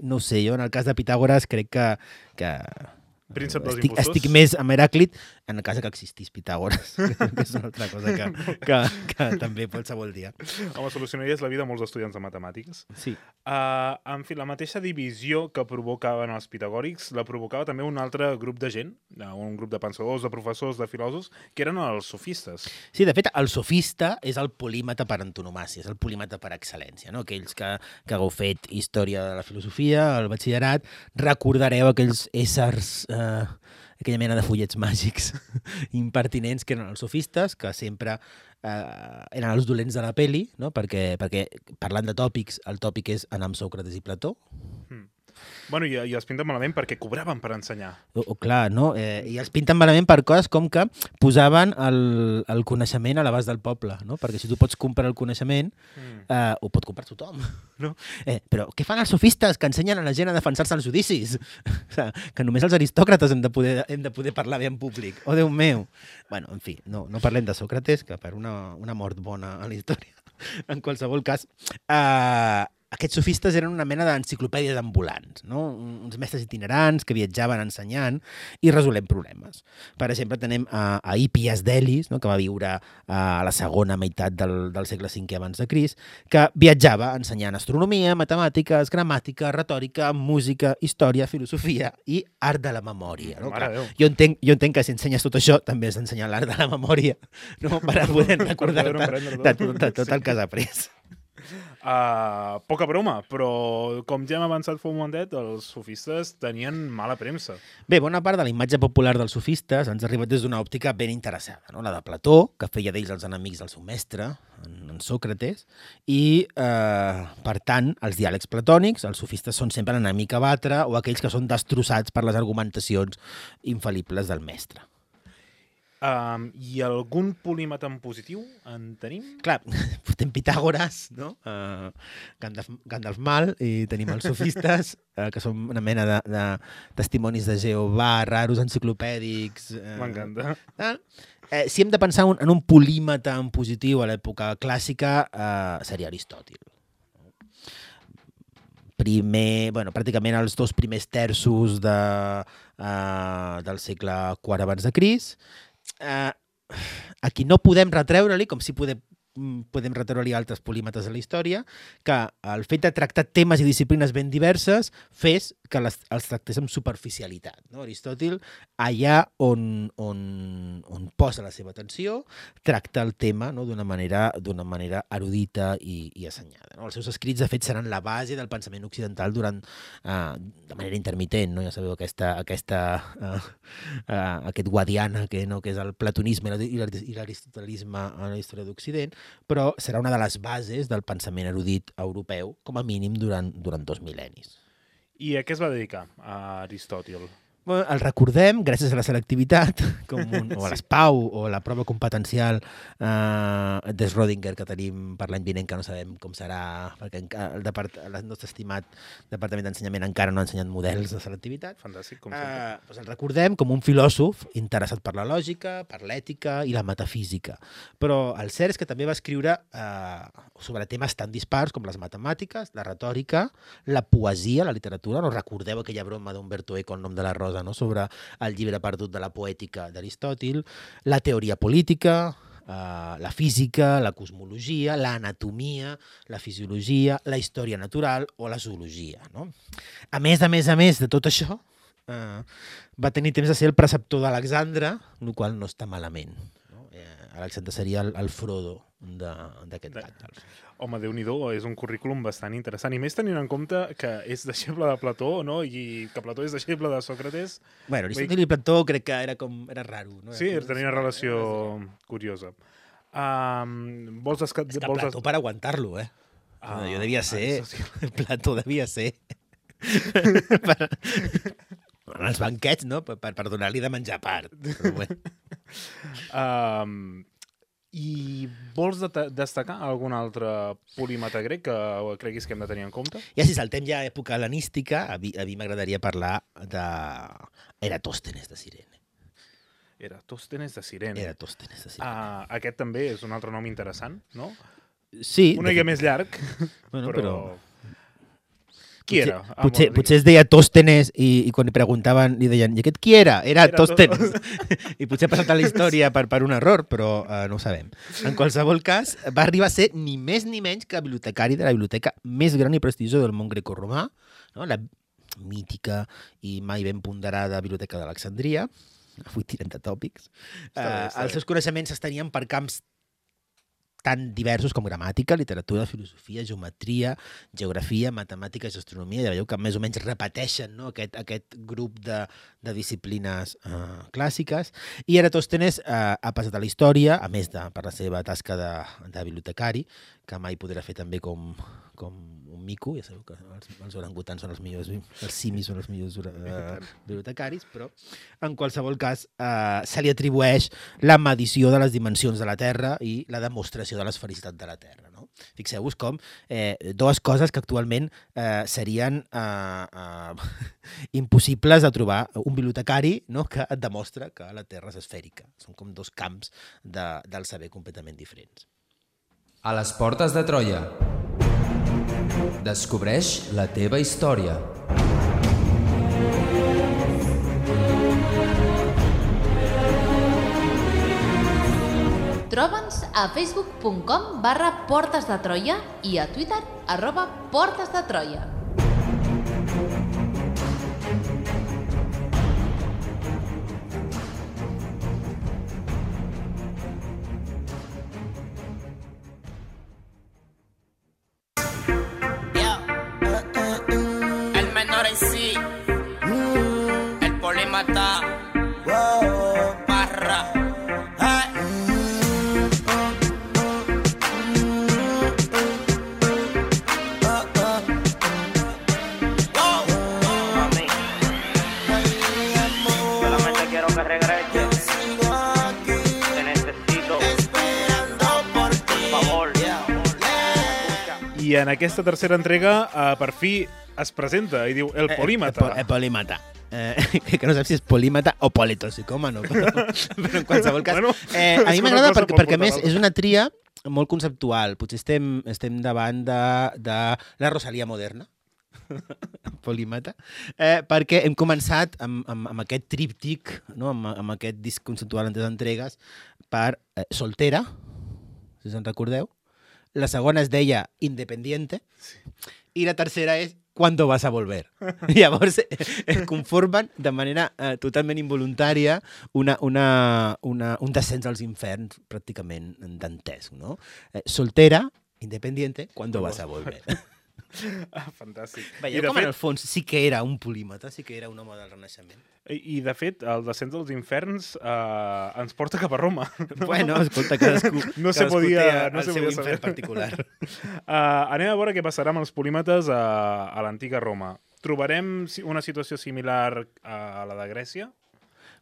no ho sé, jo en el cas de Pitàgores crec que... que... Príncep dels estic, impostors? estic més amb Heràclit en el cas que existís Pitàgores, que és una altra cosa que, que, que també qualsevol dia. Home, solucionaries la vida a molts estudiants de matemàtiques. Sí. Uh, en fi, la mateixa divisió que provocaven els pitagòrics la provocava també un altre grup de gent, un grup de pensadors, de professors, de filòsofs, que eren els sofistes. Sí, de fet, el sofista és el polímata per antonomàcia, és el polímata per excel·lència. No? Aquells que, que hagueu fet història de la filosofia, el batxillerat, recordareu aquells éssers... Eh, aquella mena de fullets màgics impertinents que eren els sofistes, que sempre eh, eren els dolents de la peli, no? perquè, perquè parlant de tòpics, el tòpic és anar amb Sòcrates i Plató. Mm. Bueno, i, i els pinten malament perquè cobraven per ensenyar. O, o clar, no? Eh, I els pinten malament per coses com que posaven el, el coneixement a l'abast del poble, no? Perquè si tu pots comprar el coneixement, mm. eh, ho pot comprar tothom, no? Eh, però què fan els sofistes que ensenyen a la gent a defensar-se als judicis? O sigui, que només els aristòcrates hem de poder, hem de poder parlar bé en públic. Oh, Déu meu! Bueno, en fi, no, no parlem de Sòcrates, que per una, una mort bona a la història. En qualsevol cas, eh, aquests sofistes eren una mena d'enciclopèdies ambulants, no? Uns mestres itinerants que viatjaven ensenyant i resolent problemes. Per exemple, tenem a, a Hippias d'Elis, no? Que va viure a la segona meitat del, del segle cinquè abans de Crist, que viatjava ensenyant astronomia, matemàtiques, gramàtica, retòrica, música, història, filosofia i art de la memòria. No? Clar, jo, entenc, jo entenc que si ensenyes tot això també has d'ensenyar l'art de la memòria, no? Per poder recordar-te de, de, de tot el que has après. Uh, poca broma, però com ja hem avançat fa un momentet, els sofistes tenien mala premsa. Bé, bona part de la imatge popular dels sofistes ens ha arribat des d'una òptica ben interessada, no? La de Plató, que feia d'ells els enemics del seu mestre, en, en Sòcrates, i, eh, per tant, els diàlegs platònics, els sofistes són sempre l'enemic a batre o aquells que són destrossats per les argumentacions infal·libles del mestre. Um, I algun polímata en positiu en tenim? Clar, portem Pitàgores, no? Uh, Gandalf, Gandalf mal, i tenim els sofistes, uh, que són una mena de, de testimonis de Jehovà, raros, enciclopèdics... Uh, M'encanta. Uh, eh, si hem de pensar un, en un polímata en positiu a l'època clàssica, uh, seria Aristòtil. Primer, bueno, pràcticament els dos primers terços de, uh, del segle quart abans de Crist. Uh, a qui no podem retreure-li, com si podem, podem retreure-li altres polímates de la història, que el fet de tractar temes i disciplines ben diverses fes que les, els tractés amb superficialitat. No? Aristòtil, allà on, on, on posa la seva atenció, tracta el tema, no? d'una manera, d'una manera erudita i, i assenyada. No? Els seus escrits, de fet, seran la base del pensament occidental durant, uh, de manera intermitent. No? Ja sabeu aquesta, aquesta, uh, uh, aquest guadiana que, no? que és el platonisme i l'aristotelisme a la història d'Occident, però serà una de les bases del pensament erudit europeu, com a mínim durant, durant dos mil·lennis. I a què es va dedicar, a Aristòtil? Bueno, el recordem gràcies a la selectivitat, com un, o a l'ESPAU, o a la prova competencial eh, de Schrödinger que tenim per l'any vinent, que no sabem com serà, perquè el, depart, el nostre estimat Departament d'Ensenyament encara no ha ensenyat models de selectivitat. Fantàstic, com sempre. Eh, doncs el recordem com un filòsof interessat per la lògica, per l'ètica i la metafísica. Però el cert és que també va escriure eh, sobre temes tan dispars com les matemàtiques, la retòrica, la poesia, la literatura. No recordeu aquella broma d'Umberto Eco, el nom de la rosa, no? Sobre el llibre perdut de la poètica d'Aristòtil, la teoria política, eh, la física, la cosmologia, l'anatomia, la fisiologia, la història natural o la zoologia. No? A més, a més, a més de tot això, eh, va tenir temps de ser el preceptor d'Alexandre, el qual no està malament. No? Eh, Alexandre seria el, el Frodo d'aquest Gandalf. Home, Déu-n'hi-do, és un currículum bastant interessant. I més tenint en compte que és deixeble de Plató, no? I que Plató és deixeble de Sòcrates. Bueno, Aristòtil i Plató crec que era com era raro. No? Sí, tenia una relació curiosa. Um, vols desca... És que vols Plató des... per aguantar-lo, eh? Ah, jo devia ser... Ah, Plató devia ser... per... En els banquets, no? Per, per donar-li de menjar a part. Però bueno. um, I vols de destacar algun altre polímata grec que creguis que hem de tenir en compte? Ja si saltem ja a època hel·lenística, a mi, a mi m'agradaria parlar d'Eratòstenes de Cirene. Eratòstenes de Cirene. Eratòstenes de Cirene. Ah, aquest també és un altre nom interessant, no? Sí. Una mica més llarg, bueno, però... però... Qui potser, era? Potser, potser es deia Tòstenes i, i quan li preguntaven li deien, i aquest qui era? Era, era Tòstenes. I potser ha passat a la història per, per un error, però uh, no ho sabem. En qualsevol cas, va arribar a ser ni més ni menys que bibliotecari de la biblioteca més gran i prestigiosa del món grecorromà, no? La mítica i mai ben ponderada Biblioteca d'Alexandria. Avui tirem de tòpics. Uh, els seus coneixements s'estenien per camps tan diversos com gramàtica, literatura, filosofia, geometria, geografia, matemàtiques, astronomia. Ja veieu que més o menys repeteixen, no? aquest, aquest grup de, de disciplines uh, clàssiques. I Eratòstenes uh, ha passat a la història, a més de per la seva tasca de, de bibliotecari, que mai podrà fer també com, com un mico. Ja sabeu que els, els orangutans són els millors, els simis són els millors uh, bibliotecaris, però en qualsevol cas uh, se li atribueix la medició de les dimensions de la Terra i la demostració de l'esfericitat de la Terra. No? Fixeu-vos com eh, dues coses que actualment eh, serien eh, eh, impossibles de trobar. Un bibliotecari, no? Que et demostra que la Terra és esfèrica. Són com dos camps de, del saber completament diferents. A les portes de Troia. Descobreix la teva història. Troba'ns a facebook punt com barra Portes de Troia i a Twitter arroba Portes de Troia. El menor en sí, el polímata, barra. I en aquesta tercera entrega, uh, per fi es presenta i diu el polímata. El, el polímata. Eh, que no saps si és polímata o politoxicòmano, però, però en qualsevol cas. Bueno, eh, a mi m'agrada perquè, perquè més és una tria molt conceptual. Potser estem, estem davant de, de la Rosalía moderna, polímata, eh, perquè hem començat amb, amb, amb aquest tríptic, no? amb, amb aquest disc conceptual en tres entregues, per eh, Soltera, si se'n recordeu. La segona es deia Independiente, sí. I la tercera és ¿Cuándo vas a volver? Llavors es conformen de manera eh, totalment involuntària una, una, una, un descens als inferns pràcticament dantesc, no? Eh, soltera, independiente, ¿cuándo vas a volver? Ah, fantàstic. Veieu com fet... en el fons sí que era un polímata, sí que era un home del Renaixement. I, i de fet, el descens dels inferns eh, ens porta cap a Roma. No? Bueno, escolta, cadascú, no se cadascú podia, té no el se seu podia infern particular. uh, anem a veure què passarà amb els polímates a, a l'antiga Roma. Trobarem una situació similar a la de Grècia?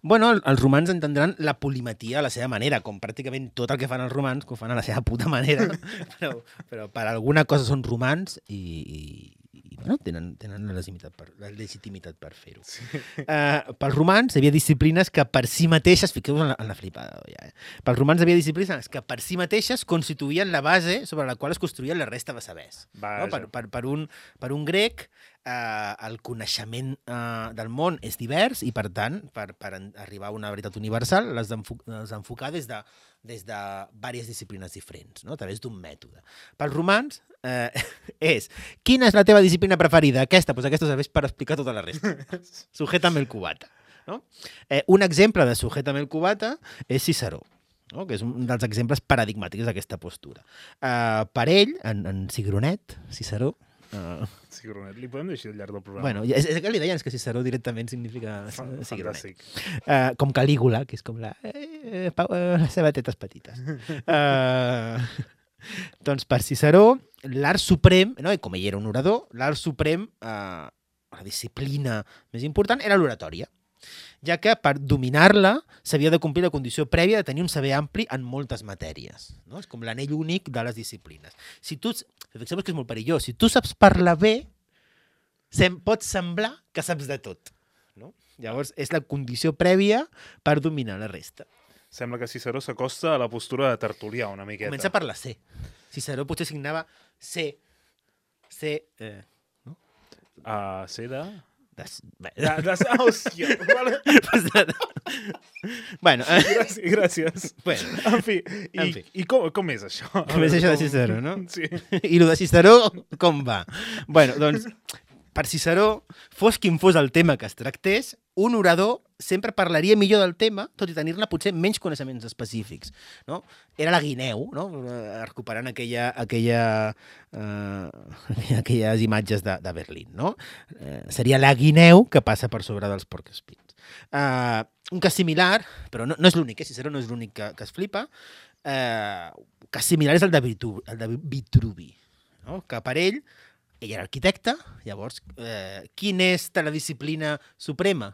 Bueno, els romans entendran la polimatia a la seva manera, com pràcticament tot el que fan els romans, que ho fan a la seva puta manera, però, però per alguna cosa són romans i, i, i bueno, tenen, tenen la, legitimitat per, la legitimitat per fer-ho. Sí. Uh, pels romans hi havia disciplines que per si mateixes, fiqueu-vos en la, en la flipada, ja, eh? Pels romans hi havia disciplines que per si mateixes constituïen la base sobre la qual es construïen la resta de sabers. No? Per, per, per, un, per un grec, Uh, el coneixement uh, del món és divers i, per tant, per, per arribar a una veritat universal, l'has d'enfocar des de, des de diverses disciplines diferents, no? A través d'un mètode. Pels romans uh, és, quina és la teva disciplina preferida? Aquesta? Doncs aquesta serveix per explicar tota la resta. Sujétame el cubata. No? Eh, un exemple de sujétame el cubata és Ciceró, no? Que és un dels exemples paradigmàtics d'aquesta postura. Uh, per ell, en, en Cigronet, Ciceró, Uh, Cigronet, li podem deixar al llarg del programa. Bueno, és, és que li deien que Ciceró directament significa Cigronet. Uh, com Calígula, que és com la, eh, eh, les seves tetes petites. Uh, doncs per Ciceró, l'art suprem, no? I com ell era un orador, l'art suprem, uh, la disciplina més important, era l'oratòria, ja que per dominar-la s'havia de complir la condició prèvia de tenir un saber ampli en moltes matèries. No? És com l'anell únic de les disciplines. Si tu, fixeu-vos que és molt perillós, si tu saps parlar bé, sem, pot semblar que saps de tot. No? Llavors, és la condició prèvia per dominar la resta. Sembla que Ciceró s'acosta a la postura de tertulià una miqueta. Comença per la C. Ciceró potser signava C. C. Eh, no? Uh, C de... Des... De, de... Hòstia! Vale. Bueno, eh... gràcies. gràcies. Bueno, en fi, i, en fi. i com, com és això? Com és això de Ciceró, no? Sí. I el de Ciceró, com va? Bueno, doncs, per Ciceró, fos quin fos el tema que es tractés, un orador sempre parlaria millor del tema, tot i tenir-ne potser menys coneixements específics. No? Era la guineu, no? Recuperant aquella, aquella, uh, aquelles imatges de, de Berlín. No? Uh, seria la guineu que passa per sobre dels porc-espins. Uh, un cas similar, però no, no és l'únic, eh? Ciceró no és l'únic que, que es flipa, uh, un cas similar és el de Vitruvi, el de Vitruvi, no? Que per ell, ell era arquitecte, llavors, eh, quina és la disciplina suprema?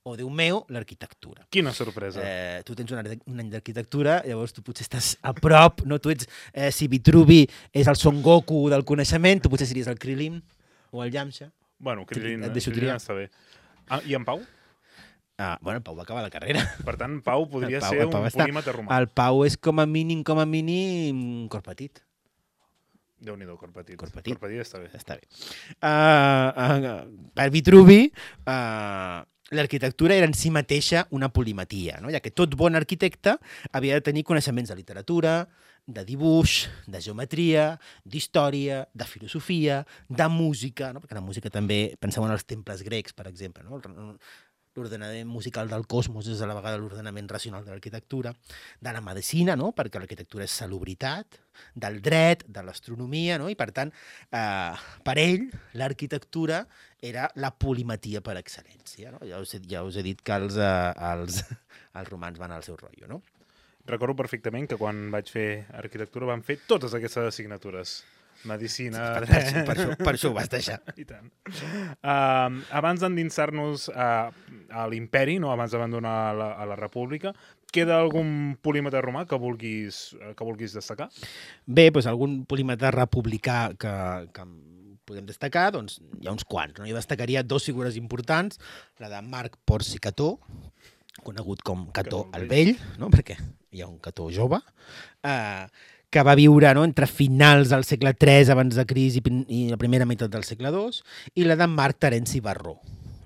O, Déu meu, l'arquitectura. Quina sorpresa. Eh, tu tens un, un any d'arquitectura, llavors tu potser estàs a prop, no? Tu ets, eh, si Vitruvi és el Son Goku del coneixement, tu potser series el Krilin o el Yamcha. Bueno, Krilin, Et deixo Krilin triar. està bé. Ah, I en Pau? Ah, bueno, el Pau va acabar la carrera. Per tant, Pau podria Pau, ser Pau un està. polímata romà. El Pau és com a mínim, com a mínim, cor petit. Déu-n'hi-do, cor petit. Cor petit. Cor petit està bé. Està bé. Uh, uh, per Vitruvi, uh, l'arquitectura era en si mateixa una polimatia, no? Ja que tot bon arquitecte havia de tenir coneixements de literatura, de dibuix, de geometria, d'història, de filosofia, de música, no? Perquè la música també, penseu en els temples grecs, per exemple, no? L'ordenament musical del cosmos és a la vegada l'ordenament racional de l'arquitectura, de la medicina, no? Perquè l'arquitectura és salubritat, del dret, de l'astronomia, no? I per tant, eh, per ell, l'arquitectura era la polimatia per excel·lència, no? Ja us he, ja us he dit que els, eh, els, els romans van al seu rotllo, no? Recordo perfectament que quan vaig fer arquitectura van fer totes aquestes assignatures. Medicina, per, per, per, això, per això ho vas deixar. I tant. Uh, abans d'endinsar-nos a, a l'imperi, no? Abans d'abandonar la, a la república, queda algun polímata romà que vulguis, que vulguis destacar? Bé, doncs algun polímata republicà que, que podem destacar, doncs hi ha uns quants. No? Jo destacaria dos figures importants, la de Marc Porci Cató, conegut com Cató el Vell, no? Perquè hi ha un Cató jove, eh, que va viure no? entre finals del segle tres abans de Crist i, i la primera meitat del segle dos, i la de Marc Terenci Barró,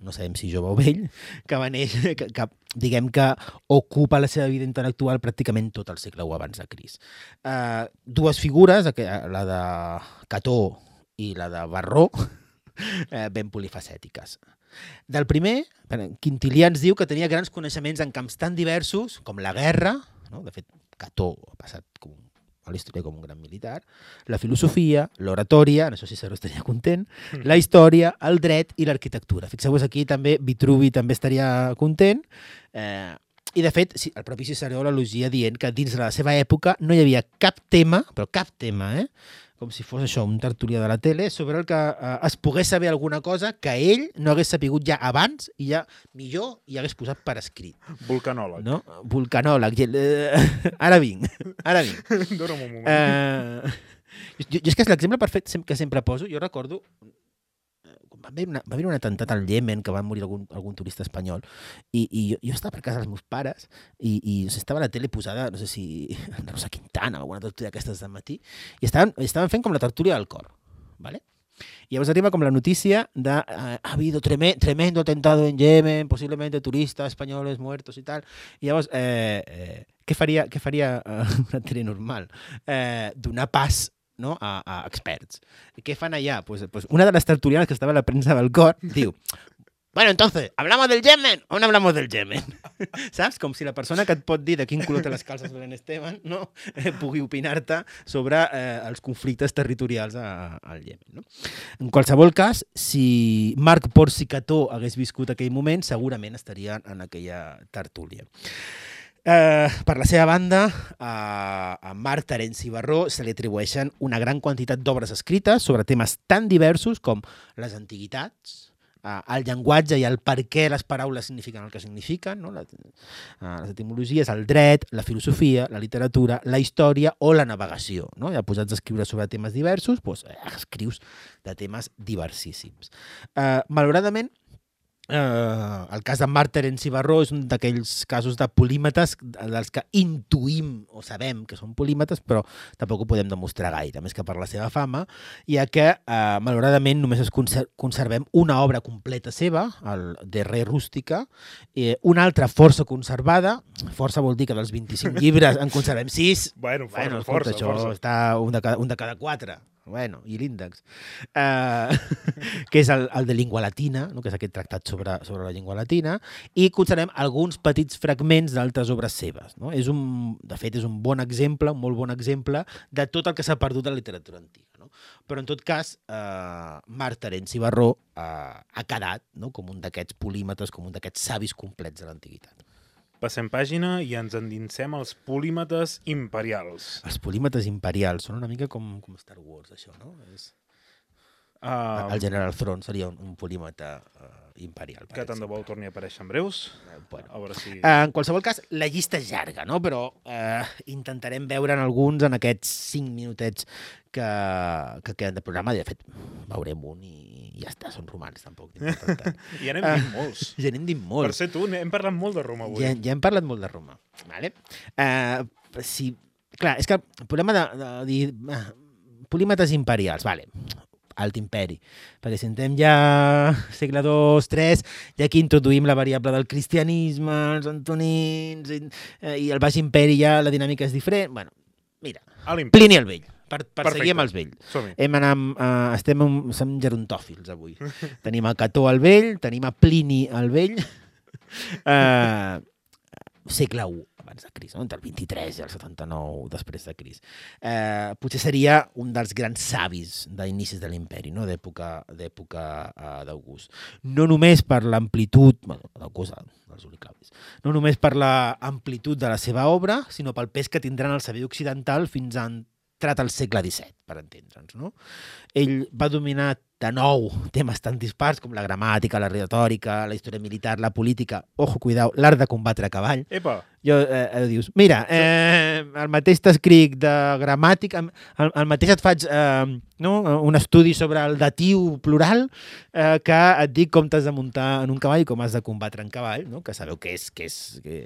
no sabem si jove o vell, que va néixer, que, que diguem que ocupa la seva vida intel·lectual pràcticament tot el segle u abans de Crist. Uh, dues figures, la de Cató i la de Barró, uh, ben polifacètiques. Del primer, Quintilià ens diu que tenia grans coneixements en camps tan diversos com la guerra, no? De fet, Cató ha passat com a la història com un gran militar, la filosofia, l'oratòria, en això sí Cerro estaria content, la història, el dret i l'arquitectura. Fixeu-vos aquí també Vitruvi també estaria content, eh, i de fet sí, el propi Ciceró l'elogia dient que dins de la seva època no hi havia cap tema, però cap tema, eh, com si fos això, un tertulià de la tele, sobre el que eh, es pogués saber alguna cosa que ell no hagués sapigut ja abans i ja millor hi hagués posat per escrit. Vulcanòleg. No? Vulcanòleg. Uh, ara vinc, ara vinc. Dóna'm un moment. Uh, jo, jo és que és l'exemple perfecte que sempre poso. Jo recordo, va haver, una, va haver un atemptat al Iemen que va morir algun, algun turista espanyol i, i jo, jo estava per casa dels meus pares i, i o sigui, estava a la tele posada, no sé si Rosa Quintana o alguna tertúlia d'aquestes del matí i estaven, estaven fent com la tertúlia del cor, ¿vale? I llavors arriba com la notícia de uh, ha habido treme, tremendo atentado en Yemen, posiblemente turistas españoles muertos y tal. I llavors, eh, eh, què faria, què faria uh, una tele normal? Eh, donar pas no? a, a experts. ¿Qué fan allá? Pues, pues una de las tertulianas que estaba en la prensa del cor diu, bueno, entonces, ¿hablamos del Yemen o no hablamos del Yemen? Saps? Com si la persona que et pot dir de quin color té les calces Belén Esteban no? eh, pugui opinar-te sobre eh, els conflictes territorials a, a, al Yemen. No? En qualsevol cas, si Marc Porci Cató hagués viscut aquell moment, segurament estaria en aquella tertúlia. Eh, per la seva banda, a, a Marc Terenci Barró se li atribueixen una gran quantitat d'obres escrites sobre temes tan diversos com les antiguitats, eh, el llenguatge i el per què les paraules signifiquen el que signifiquen, no? la, eh, les etimologies, el dret, la filosofia, la literatura, la història o la navegació. No? Ja posats a escriure sobre temes diversos, doncs, eh, escrius de temes diversissíssims. Eh, malauradament, Uh, el cas de Marc Terenci Barró és un d'aquells casos de polímates dels que intuïm o sabem que són polímates, però tampoc ho podem demostrar gaire, més que per la seva fama, ja que uh, malauradament només es conser conservem una obra completa seva, el De Re Rústica, eh, una altra força conservada, força vol dir que dels vint-i-cinc llibres en conservem sis, bueno, força, bueno, força, escolta, això força. està un de cada, un de cada quatre. Bueno, i l'índex, uh, que és el, el de llengua latina, no? Que és aquest tractat sobre, sobre la llengua latina, i considerem alguns petits fragments d'altres obres seves. No? És un, de fet, és un bon exemple, un molt bon exemple de tot el que s'ha perdut de la literatura antiga. No? Però, en tot cas, uh, Marc Terenci Barró uh, ha quedat no? com un d'aquests polímates, com un d'aquests savis complets de l'antiguitat. Passem pàgina i ens endinsem als polímates imperials. Els polímates imperials són una mica com, com Star Wars, això, no? És... Uh, el General Thrawn seria un, un polímata uh, imperial. Que tant de bo torni a aparèixer en breus. Uh, bueno. A veure si... uh, en qualsevol cas, la llista és llarga, no? Però uh, intentarem veure en alguns en aquests cinc minutets que, que queden de programa. De fet, veurem un i ja està, són romans, tampoc. I ja n'hem dit uh, molts. Ja n'hem dit molts. Per ser tu, hem parlat molt de Roma avui. Ja, ja hem parlat molt de Roma. Vale? Uh, si... Clar, és que el problema de, de, de dir uh, polímates imperials, vale, alt imperi, perquè si entrem ja segle dos, tres, ja aquí introduïm la variable del cristianisme, els antonins, i, eh, i el baix imperi ja la dinàmica és diferent. Bueno, mira, Plini el Vell, per, per seguir amb els vells. Hem anat, uh, estem en, som gerontòfils avui. Tenim a Cató el Vell, tenim a Plini el Vell, uh, segle u abans de Crist, no? Entre el vint-i-tres i el setanta-nou després de Crist. Eh, potser seria un dels grans savis d'inicis de l'imperi, no? d'època uh, d'August. No només per l'amplitud, bueno, d'August, dels Uliclavis, no només per l'amplitud de la seva obra, sinó pel pes que tindran el saber occidental fins a entrat al segle disset, per entendre'ns. No? Ell va dominar de nou, temes tan dispars com la gramàtica, la retòrica, la història militar, la política, ojo, cuidao, l'art de combatre a cavall. Epa! Jo, eh, eh, dius, mira, eh, el mateix t'escric de gramàtica, el, el mateix et faig eh, no? un estudi sobre el datiu plural eh, que et dic com t'has de muntar en un cavall i com has de combatre en cavall, no? Que sabeu que és, que, és, que,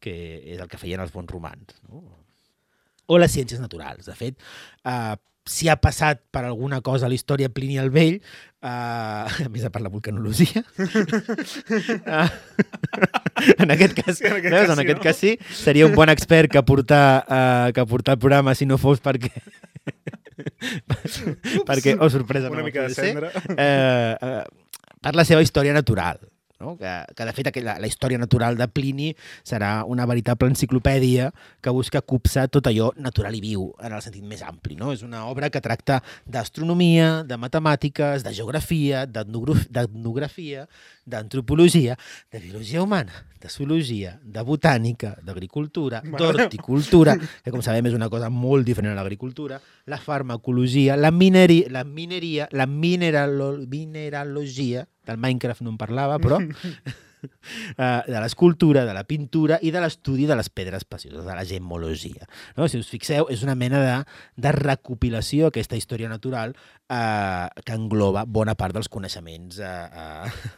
que és el que feien els bons romans. No? O les ciències naturals. De fet, eh, si ha passat per alguna cosa a la història Plini el Vell, uh, a més a part la vulcanologia, uh, en aquest cas, sí, en aquest, veus, cas, en aquest sí, no? cas sí, seria un bon expert que portar, uh, que portar el programa si no fos perquè... perquè, oh, sorpresa, una no mica de cendra. Uh, uh, per la seva història natural. No? Que, que de fet la, la història natural de Plini serà una veritable enciclopèdia que busca copsar tot allò natural i viu en el sentit més ampli. No? És una obra que tracta d'astronomia, de matemàtiques, de geografia, d'etnografia, d'antropologia, de biologia humana, de zoologia, de botànica, d'agricultura, d'horticultura, que com sabem és una cosa molt diferent a l'agricultura, la farmacologia, la mineria, la, mineria, la mineralo, mineralogia, del Minecraft no en parlava, però de l'escultura, de la pintura i de l'estudi de les pedres precioses, de la gemmologia. No? Si us fixeu, és una mena de, de recopilació, aquesta història natural, eh, que engloba bona part dels coneixements eh, eh,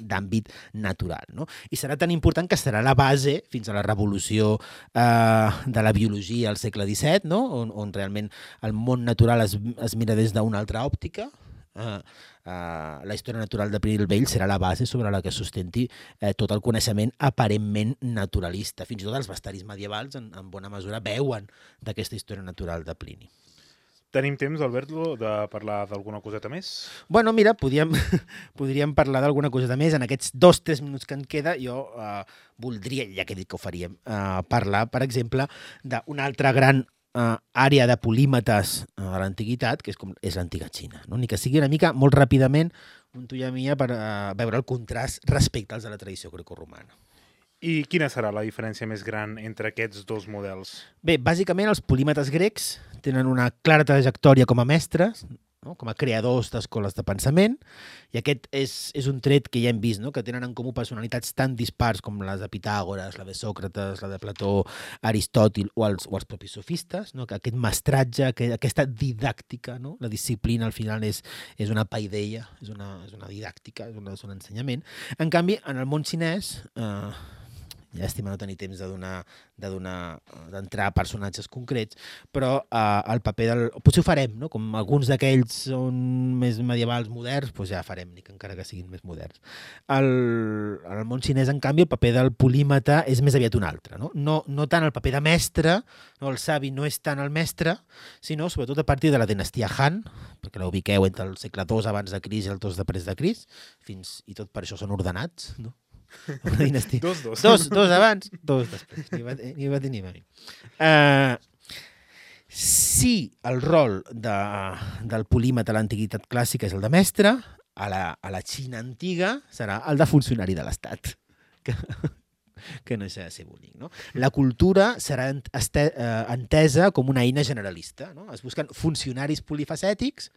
d'àmbit natural. No? I serà tan important que serà la base fins a la revolució eh, de la biologia al segle disset, no? on, on realment el món natural es, es mira des d'una altra òptica. Uh, uh, la història natural de Plini el Vell serà la base sobre la que sustenti eh, tot el coneixement aparentment naturalista. Fins i tot els bastaris medievals en, en bona mesura veuen d'aquesta història natural de Plini. Tenim temps, Alberto, de parlar d'alguna coseta més? Bueno, mira, podríem, podríem parlar d'alguna coseta més. En aquests dos o tres minuts que en queda, jo uh, voldria, ja que he dit que ho faríem, uh, parlar, per exemple, d'una altra gran Uh, àrea de polímetes uh, de l'antiguitat, que és, com, és l'antiga Xina. No? Ni que sigui una mica, molt ràpidament, un tuia mia per uh, veure el contrast respecte als de la tradició grecorromana. I quina serà la diferència més gran entre aquests dos models? Bé, bàsicament els polímetes grecs tenen una clara trajectòria com a mestres, no? Com a creadors d'escoles de pensament, i aquest és, és un tret que ja hem vist, no? Que tenen en comú personalitats tan dispars com les de Pitàgores, la de Sòcrates, la de Plató, Aristòtil o els, o els propis sofistes, no? Que aquest mestratge, que, aquesta didàctica, no? La disciplina al final és, és una paideia, és una, és una didàctica, és, una, és un ensenyament. En canvi, en el món xinès... Eh, llàstima no tenir temps de donar, de donar, d'entrar a personatges concrets, però eh, el paper del... Potser ho farem, no? Com alguns d'aquells són més medievals moderns, doncs ja farem, ni que encara que siguin més moderns. El, en el món xinès, en canvi, el paper del polímata és més aviat un altre. No, no, no tant el paper de mestre, no, el savi no és tant el mestre, sinó sobretot a partir de la dinastia Han, perquè la ubiqueu entre el segle dos abans de Crist i el dos després de Crist, fins i tot per això són ordenats, no? Una dinastia. Dos, dos. Dos, dos abans, dos després. Ni va, ni va tenir mai. Uh, si el rol de, del polímata a l'antiguitat clàssica és el de mestre, a la, a la Xina antiga serà el de funcionari de l'Estat. Que, que no deixa de ser bonic. No? La cultura serà este, uh, entesa com una eina generalista. No? Es busquen funcionaris polifacètics,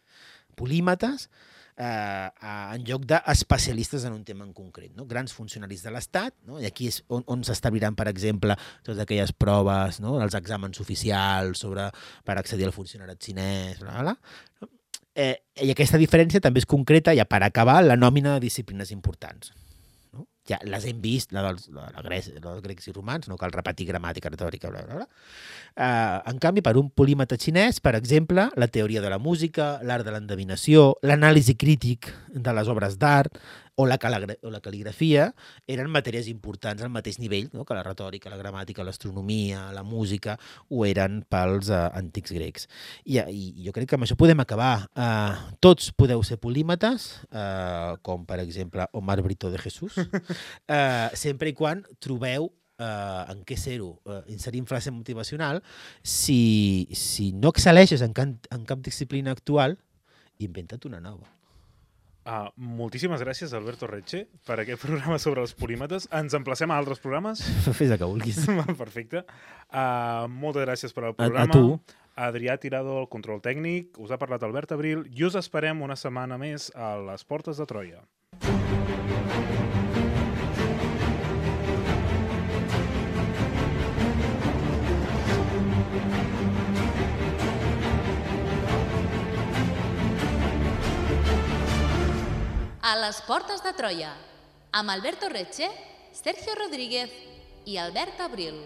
polímates, Eh, en lloc d'especialistes en un tema en concret, no? Grans funcionaris de l'Estat, no? I aquí és on, on s'establiran, per exemple, totes aquelles proves, no? Els exàmens oficials sobre, per accedir al funcionariat xinès, bla, bla, bla. Eh, i aquesta diferència també és concreta, ja per acabar, la nòmina de disciplines importants. No? Ja les hem vist, la dels, la, la Grec, la dels grecs i romans, no cal repetir gramàtica, retòrica, bla, bla, bla. Uh, en canvi, per un polímata xinès, per exemple, la teoria de la música, l'art de l'endevinació, l'anàlisi crític de les obres d'art o la, o la cal·ligrafia eren matèries importants al mateix nivell, no? Que la retòrica, la gramàtica, l'astronomia, la música, ho eren pels uh, antics grecs. I, I jo crec que amb això podem acabar. Uh, tots podeu ser polímates, uh, com per exemple Omar Brito de Jesús, uh, sempre i quan trobeu Uh, en què ser-ho, uh, inserint frase motivacional, si, si no excel·leixes en, can, en cap disciplina actual, inventa't una nova. Uh, moltíssimes gràcies, Alberto Retxe, per aquest programa sobre els polímetes. Ens emplacem a altres programes? Fes el que vulguis. Perfecte. Uh, moltes gràcies per al programa. A, a tu. Adrià Tirado, el control tècnic, us ha parlat Albert Abril i us esperem una setmana més a les Portes de Troia. A les Portes de Troia, amb Alberto Retxe, Sergio Rodríguez i Albert Abril.